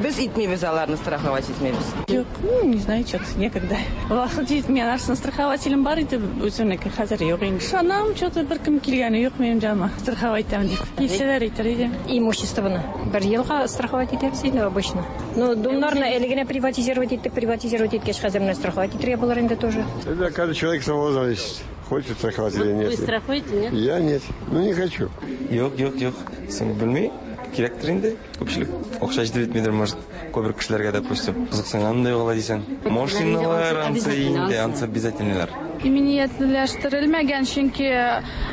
Без итмибез аларны, страховать итмибез. Юк, ну, не знаю, что-то некогда. Вакыт җитми, анарсын страхователем бар иде, үземнеке хәзер юк инде. Ышанам, что-то беркем килгәне юк минем яныма, страховать итәм дип. Килсәләр әйтер идем. Имуществоны бер елга страховать итәбез инде обычно. Ну, домнарны әле генә приватизировать иттек, приватизировать иткәч, хәзер менә страховать итәргә булыр инде тоже. Это каждый человек самого зависит, хочет страховать или нет. Вы страхуете, нет? Я нет. Ну не хочу. Юк, юк, юк. Соң белми. Кирәктер инде. Күпчелек акча җитеп бетмидер, может, күбрәк кешеләргә, допустим. Кызыксынган да юк алай дисәң. Машиналар ансы инде, ансы обязательныйлар. Иминиятләштерелмәгән, чөнки,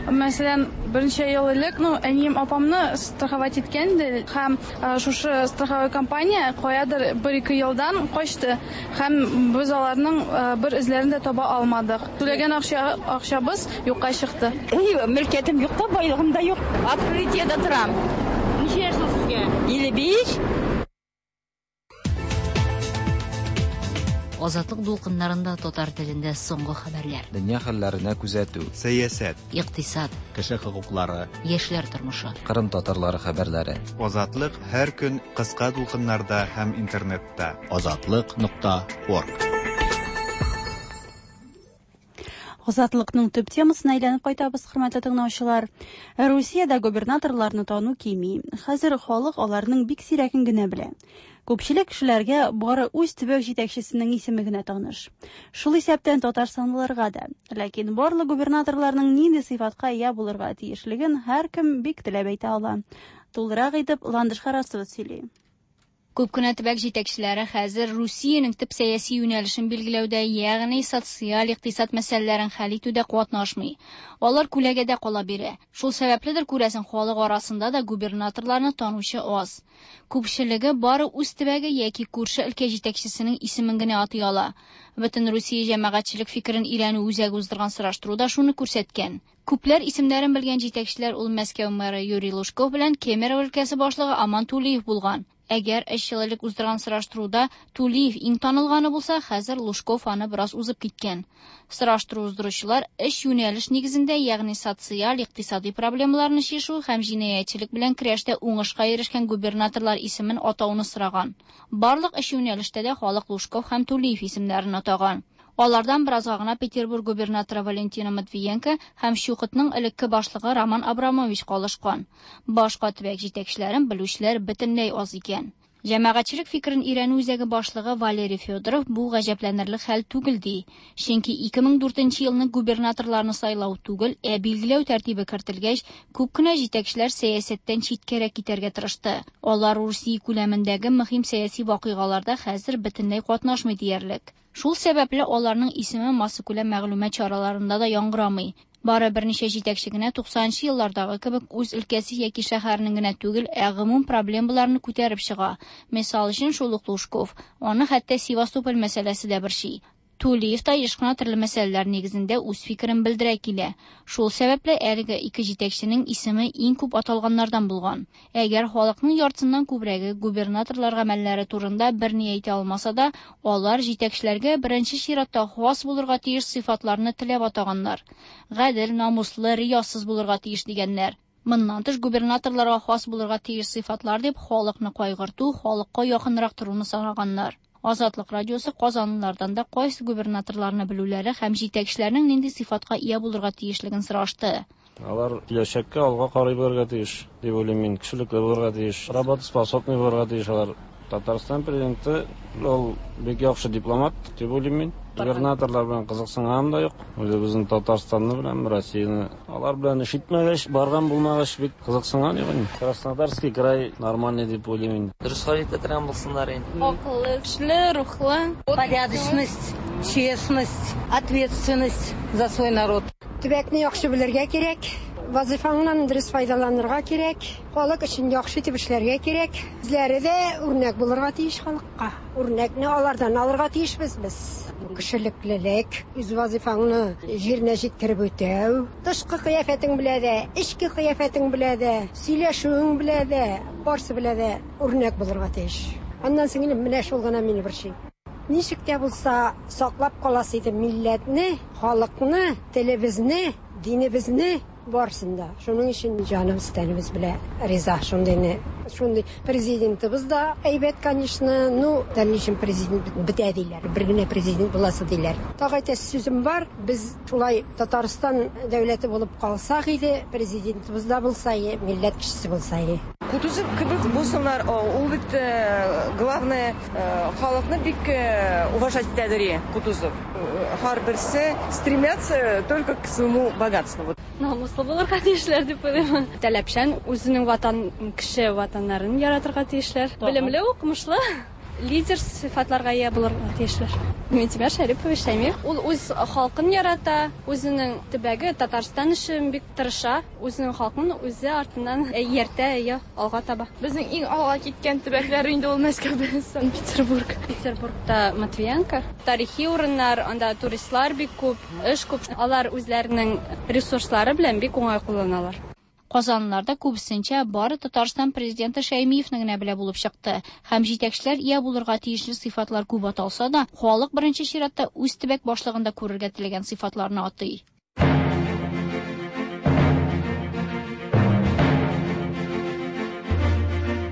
мәсәлән, берничә ел элек, ну, әнием апамны страховать иткән иде, һәм шушы страховой компания каядыр бер-ике елдан качты, һәм без аларның бер эзләрен дә таба алмадык. Түләгән акча, акчабыз юкка чыкты. Мөлкәтем юк та, байлыгым да юк. Открытиедә торам. Ничә яшь соң сезгә? 55. Азатлык дулкыннарында татар телендә соңгы хәбәрләр. Дөнья хәлләренә күзәтү. Сәясәт. Икътисад. Кеше хокуклары. Яшьләр тормышы. Кырым татарлары хәбәрләре. Азатлык һәр көн кыска дулкыннарда һәм интернетта. Азатлык нокта орг. Азатлыкның төп темасына әйләнеп кайтабыз, хөрмәтле тыңлаучылар. Русиядә губернаторларны тану кими. Хәзер халык аларның бик сирәген генә белә. Күпчелек кешеләргә бары үз төбәк җитәкчесенең исеме генә таныш. Шул исәптән татарстанлыларга да. Ләкин барлык губернаторларның нинди сыйфатка ия булырга тиешлеген һәркем бик теләп әйтә ала. Тулырак итеп Ландыш Харасова сөйли. Күп кенә төбәк җитәкчеләре хәзер Русиянең төп сәяси юнәлешен билгеләүдә, ягъни социаль-икътисад мәсьәләләрен хәл итүдә катнашмый. Алар күләгәдә кала бирә. Шул сәбәпледер, күрәсең, халык арасында да губернаторларны танучы аз. Күпчелеге бары үз төбәге яки күрше өлкә җитәкчесенең исемен генә атый ала. Бөтен Русия җәмәгатьчелек фикерен өйрәнү үзәге уздырган сораштыру да шуны күрсәткән. Күпләр исемнәрен белгән җитәкчеләр ул Мәскәү мэры Юрий Лужков белән Кемерово өлкәсе башлыгы Аман Тулиев булган. Әгәр өч ел элек уздырган сораштыруда Тулиев иң танылганы булса, хәзер Лужков аны бераз узып киткән. Сораштыру уздыручылар өч юнәлеш нигезендә, ягъни социаль, икътисади проблемаларны чишү һәм җинаятьчелек белән көрәштә уңышка ирешкән губернаторлар исемен атауны сораган. Барлык өч юнәлештә дә халык Лужков һәм Тулиев исемнәрен атаган. Алардан беразга гына Петербург губернаторы Валентина Матвиенко һәм Чукотның элекке башлыгы Роман Абрамович калышкан. Башка төбәк җитәкчеләрен белүчеләр бөтенләй аз икән. Җәмәгатьчелек фикерен өйрәнү үзәге башлыгы Валерий Федоров бу гаҗәпләнерлек хәл түгел ди. Чөнки 2004 елны губернаторларны сайлау түгел, ә билгеләү тәртибе кертелгәч, күп кенә җитәкчеләр сәясәттән читкәрәк китәргә тырышты. Алар Русия күләмендәге мөһим сәяси вакыйгаларда хәзер бөтенләй катнашмый диярлек. Шул сәбәпле аларның исеме массакүләм мәгълүмат чараларында да яңгырамый. Бары берничә җитәкче генә 90нчы еллардагы кебек үз өлкәсе яки шәһәренең генә түгел, ә гомум проблемаларны күтәреп чыга. Мисал өчен, шул ук Лужков. Аны хәтта Севастополь мәсьәләсе дә борчый. Тулиев та еш кына төрле мәсьәләләр нигезендә үз фикерен белдерә килә. Шул сәбәпле әлеге ике җитәкченең исеме иң күп аталганнардан булган. Әгәр халыкның яртысыннан күбрәге губернаторлар гамәлләре турында берни әйтә алмаса да, алар җитәкчеләргә беренче чиратта хас булырга тиеш сыйфатларны теләп атаганнар. Гадел, намуслы, риясыз булырга тиеш дигәннәр. Моннан тыш губернаторларга хас булырга тиеш сыйфатлар дип халыкны кайгырту, халыкка якынрак торуны санаганнар. Азатлык радиосы казанлылардан да кайсы губернаторларны белүләре һәм җитәкчеләрнең нинди сыйфатка ия булырга тиешлеген сорашты. Алар киләчәккә алга карый белергә тиеш, дип уйлыйм мин. Кешелекле булырга тиеш, работоспособный булырга тиеш алар. Татарстан президенты ул бик яхшы дипломат дип уйлыйм мин. Губернаторлар белән кызыксынганым да юк. Үзебезнең Татарстанны беләм, Россияне. Алар белән эш итмәгәч, барган булмагач, бик кызыксынган юк инде. Краснодарский край нормальный дип уйлыйм инде. Дөрес хәл итә торган булсыннар инде. Акыллы, көчле, рухлы. Порядочность, честность, ответственность за свой народ. Төбәкне яхшы белергә кирәк, вазыйфаңнан дөрес файдаланырга кирәк, халык өчен яхшы итеп эшләргә кирәк. Үзләре дә үрнәк булырга тиеш халыкка. Үрнәкне алардан алырга тиешбез без. Кешелеклелек, үз вазыйфаңны җиренә җиткереп үтәү, тышкы кыяфәтең белә дә, эчке кыяфәтең белә дә, сөйләшүең белә дә, барсы белә дә үрнәк булырга тиеш. Аннан соң инде менә шул гына мине борчый. Ничек тә булса саклап каласы иде милләтне, халыкны, телебезне, динебезне, барысын да. Шуның өчен җаныбыз, тәнебез белә риза шундыйны. Шундый президентыбыз да әйбәт, конечно. Ну, дальнейшем президент бетә диләр. Бер генә президент буласы диләр. Тагы әйтәсе сүзем бар. Без шулай Татарстан дәүләте булып калсак иде, президентыбыз да булса и, милләт кешесе булса и. Кутузов кебек булсыннар, ул бит главное халыкны бик уважать итәдер Кутузов. Һәрберсе стремятся только к своему богатству. Намуслы булырга тиешләр дип уйлыйм. Таләпчән, үзенең ватан, кеше ватаннарын яратырга тиешләр. Белемле, укымышлы, лидер сыйфатларга ия булырга тиешләр. Минтимер Шәрипович Шәймиев, ул үз халкын ярата, үзенең төбәге Татарстан өчен бик тырыша, үзенең халкын үзе артыннан ияртә, әйе, алга таба. Безнең иң алга киткән төбәкләр инде ул Мәскәү белән Санкт-Петербург. Петербургта Матвиенко. Тарихи урыннар, анда туристлар бик күп, эш күп. Алар үзләренең ресурслары белән бик уңай кулланалар. Казанлылар да күбесенчә бары Татарстан Президенты Шәймиевне генә белә булып чыкты. Һәм җитәкчеләр ия булырга тиешле сыйфатлар күп аталса да, халык беренче чиратта үз төбәк башлыгында күрергә теләгән сыйфатларны атый.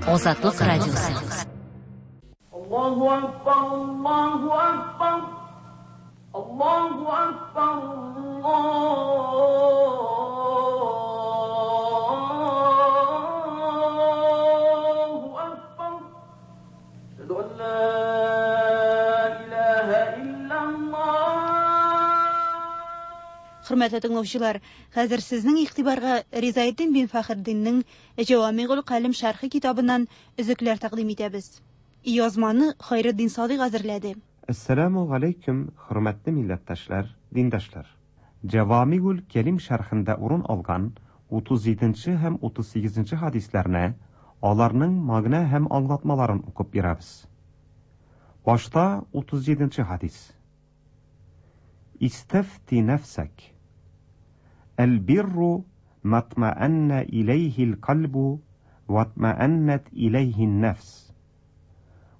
Азатлык радиосы. Аллаһу акбар, Аллаһу акбар, Аллаһу акбар, Аллаһу акбар. Әшһәду ан ла илаһа иллаллаһ. Хөрмәтле тыңлаучылар, хәзер сезнең игътибарга Ризаэддин бин Фәхретдиннең Җәвамигул Калем шәрхе китабыннан өзекләр тәкъдим итәбез. Язманы Хайретдин Садыйк әзерләде. Әссәламү галәйкүм, хөрмәтле милләттәшләр, диндәшләр! Җәвамигул Кәлим шәрхендә урын алган 37 нче һәм 38 нче хәдисләрне, аларның мәгънә һәм аңлатмаларын укып бирәбез. Башта 37 нче хәдис. Истәфти нәфсәк. Әл-бирру матмаәннә иләйһил кальбу ватмаәннәт иләйһин нәфс.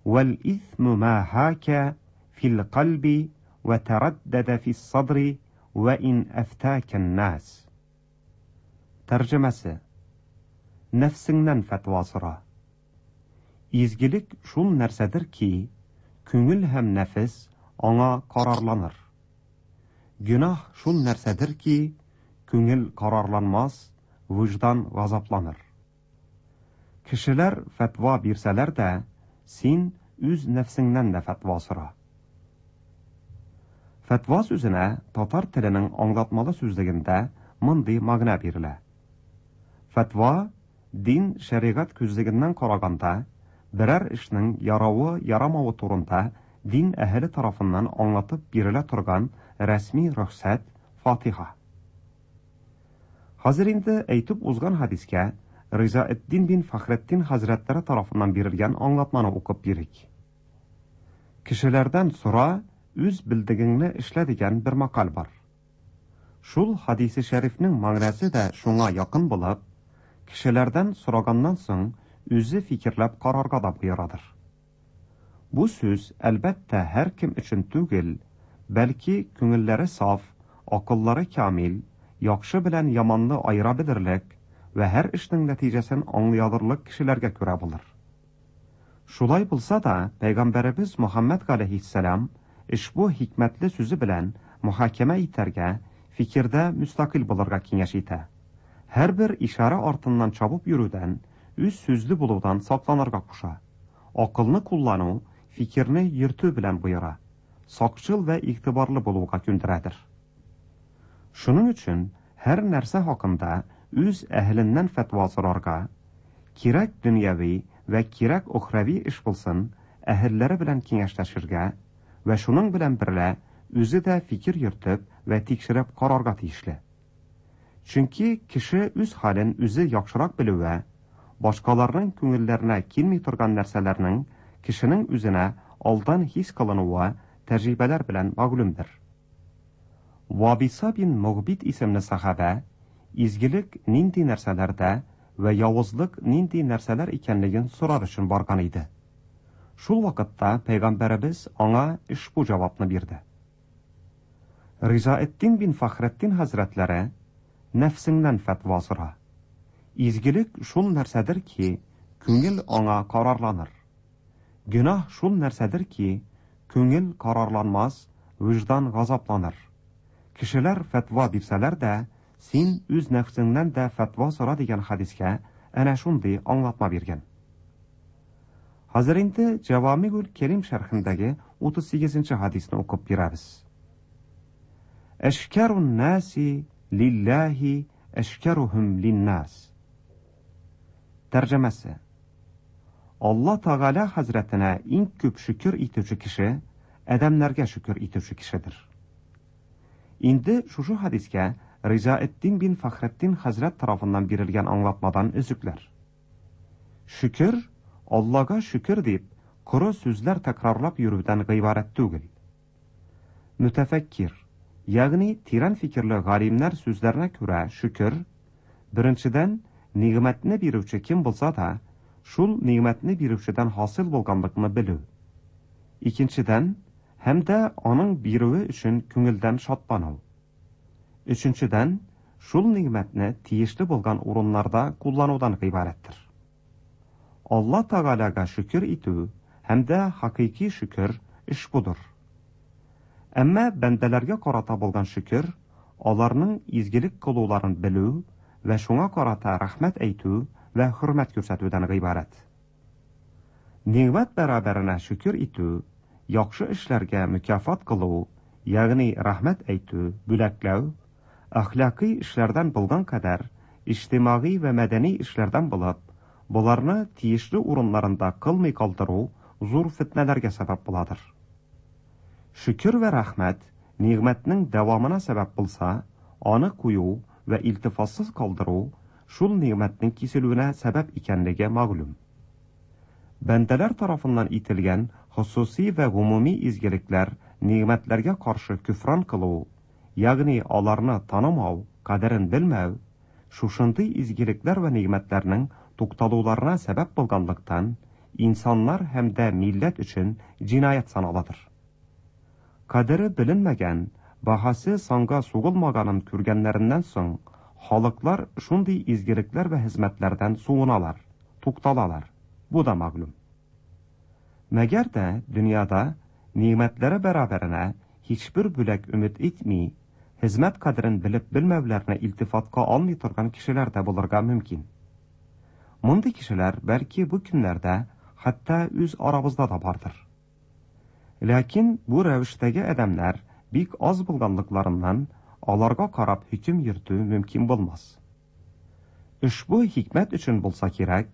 Вәл исму ма хака фил кальби вә тәрәддәдә фис садри вә ин әфтәкән нас. Тәрҗемәсе. Нәфсеңнән фәтва сора. Изгелек шул нәрсәдер ки, күңел һәм нәфес аңа карарланыр. Гөнаһ шул нәрсәдер ки, күңел карарланмас, вөҗдан газапланыр. Кешеләр фәтва бирсәләр дә, син үз нәфсеңнән дә фәтва сора. Фәтва сүзенә татар теленең аңлатмалы сүзлегендә мондый мәгънә бирелә. Фәтва, дин, шәригать күзлегеннән караганда, берәр эшнең яравы-ярамавы турында дин әһеле тарафыннан аңлатып бирелә торган рәсми рөхсәт, фатиха. Хәзер инде әйтеп узган хәдискә Ризаэтдин бин Фәхретдин хәзрәтләре тарафыннан бирелгән аңлатманы укып бирик. Кешеләрдән сора, үз белдегеңне эшлә дигән бер мәкаль бар. Шул хәдисе шәрифнең мәгънәсе дә шуңа якын булып, кешеләрдән сораганнан соң үзе фикерләп карарга да боерадыр. Бу сүз, әлбәттә, һәркем өчен түгел, бәлки күңелләре саф, акыллары камил, яхшы белән яманны аера белерлек вә һәр эшнең нәтиҗәсен аңлый алырлык кешеләргә күрә булыр. Шулай булса да, пәйгамбәребез Мөхәммәд галәйһиссәлам ошбу хикмәтле сүзе белән мөхакәмә итәргә, фикердә мөстәкыйль булырга киңәш итә. Һәрбер ишарә артыннан чабып йөрүдән, үз сүзле булудан сакланырга куша. Акылны куллану, фикерне йөртү белән боера, сакчыл вә игътибарлы булуга күндерәдер. Шуның өчен һәр нәрсә хакында үз әһеленнән фәтва сорарга, кирәк дөньяви вә кирәк охрәви эш булсын, әһелләре белән киңәшләшергә вә шуның белән берлә үзе дә фикер йөртеп вә тикшереп карарга тиешле. Чөнки кеше үз хәлен үзе яхшырак белүе, башкаларның күңелләренә килми торган нәрсәләрнең кешенең үзенә алдан хис кылынуы тәҗрибәләр белән мәгълүмдер. Вабиса бин Мөгбит исемле сахабә изгелек нинди нәрсәләрдә вә явызлык нинди нәрсәләр икәнлеген сорар өчен барган иде. Шул вакытта пәйгамбәребез аңа ошбу җавапны бирде. Ризаэддин бин Фәхретдин хәзрәтләре нәфсеңнән фәтва сора. Изгелек шул нәрсәдер ки, күңел аңа карарланыр. Гөнаһ шул нәрсәдер ки, күңел карарланмас, вөҗдан газапланыр. Кешеләр фәтва бирсәләр дә, син үз нәфсеңнән дә фәтва сора дигән хәдискә әнә шундый аңлатма биргән. Хәзер инде Җавамигул Кәрим шәрхендәге 38 нче хәдисне укып бирәбез. Әшкәрун наси лиллаһи әшкәруһум линнас. Тәрҗемәсе. Алла Тәгалә хәзрәтенә иң күп шөкер итүче кеше адәмнәргә шөкер итүче кешедер. Инде шушы хәдискә Ризаэддин бин Фәхретдин хәзрәт тарафыннан бирелгән аңлатмадан өзекләр. Шөкер, Аллага шөкер дип, коры сүзләр тәкрарлап йөрүдән гыйбарәт түгел. Мөтәфәккир, ягъни тирән фикерле галимнәр сүзләренә күрә, шөкер, беренчедән, нигъмәтне бирүче кем булса да, шул нигъмәтне бирүчедән хасил булганлыкны белү. Икенчедән, һәм дә аның бирүе өчен күңелдән шатлану. Өченчедән, шул нигъмәтне тиешле булган урыннарда кулланудан гыйбарәттер. Алла Тәгаләгә шөкер итү һәм дә хакыйки шөкер ошбудыр. Әмма бәндәләргә карата булган шөкер, аларның изгелек кылуларын белү вә шуңа карата рәхмәт әйтү вә хөрмәт күрсәтүдән гыйбарәт. Нигъмәт бәрабәренә шөкер итү, яхшы эшләргә мөкяфат кылу, ягъни рәхмәт әйтү, бүләкләү, әхлакый эшләрдән булган кадәр, иҗтимагый вә мәдәни эшләрдән булып, боларны тиешле урыннарында кылмый калдыру зур фетнәләргә сәбәп буладыр. Шөкер вә рәхмәт нигъмәтнең дәвамына сәбәп булса, аны кую вә илтифатсыз калдыру шул нигъмәтнең киселүенә сәбәп икәнлеге мәгълүм. Бәндәләр тарафыннан ителгән хосусый вә гомуми изгелекләр, нигъмәтләргә каршы көфран кылу, ягъни аларны танымау, кадерен белмәү, шушындый изгелекләр вә нигъмәтләрнең тукталуларына сәбәп булганлыктан, инсаннар һәм дә милләт өчен җинаять саналадыр. Кадере беленмәгән, баһасы санга сугылмаганын күргәннәреннән соң, халыклар шундый изгелекләр вә хезмәтләрдән суыналар, тукталалар. Бу да мәгълүм. Мәгәр дә дөньяда нигъмәтләре бәрабәренә һичбер бүләк өмет итми, хезмәт кадерен белеп белмәүләрне илтифатка алмый торган кешеләр дә булырга мөмкин. Мондый кешеләр бәлки бу көннәрдә хәтта үз арабызда да бардыр. Ләкин бу рәвештәге адәмнәр бик аз булганлыкларыннан аларга карап хөкем йөртү мөмкин булмас. Ошбу хикмәт өчен булса кирәк,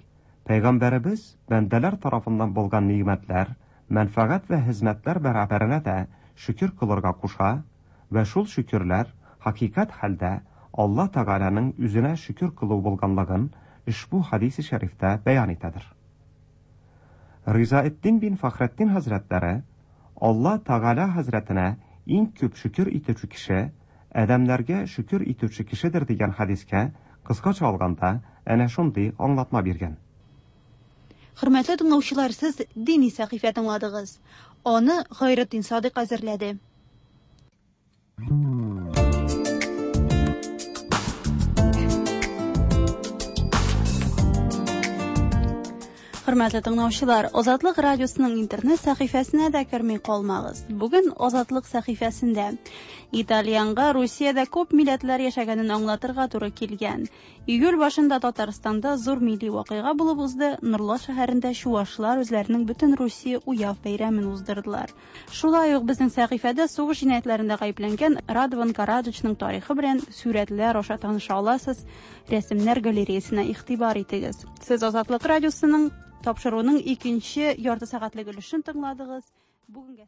Пәйгамбәребез бәндәләр тарафыннан булган нигъмәтләр, мәнфәгать вә хезмәтләр бәрабәренә дә шөкер кылырга куша вә шул шөкерләр хакыйкать хәлдә Алла Тәгаләнең үзенә шөкер кылу булганлыгын ошбу хәдисе шәрифтә бәян итәдер. Ризаэддин бин Фәхретдин хәзрәтләре Алла Тәгалә хәзрәтенә иң күп шөкер итүче кеше, адәмнәргә шөкер итүче кешедер дигән хәдискә, кыскача алганда, әнә шундый аңлатма биргән. Хөрмәтле тыңлаучылар, сез дини сәхифә тыңладыгыз. Аны Гайретдин Садыйк әзерләде. Хөрмәтле тыңлаучылар, Азатлык радиосының интернет сәхифәсенә дә керми калмагыз. Бүген Азатлык сәхифәсендә Итальянга Русиядә күп милләтләр яшәгәнен аңлатырга туры килгән. Июль башында Татарстанда зур милли вакыйга булып узды. Нурлат шәһәрендә чувашлар үзләренең бөтен Русия уяв бәйрәмен уздырдылар. Шулай ук безнең сәхифәдә сугыш җинаятьләрендә гаепләнгән Радован Караджичның тарихы белән сүрәтләр аша таныша аласыз. Рәсемнәр галереясына игътибар итегез. Сез Азатлык радиосының тапшыруының икенче ярты сәгатьлек өлешен тыңладыгыз. Бүгенгә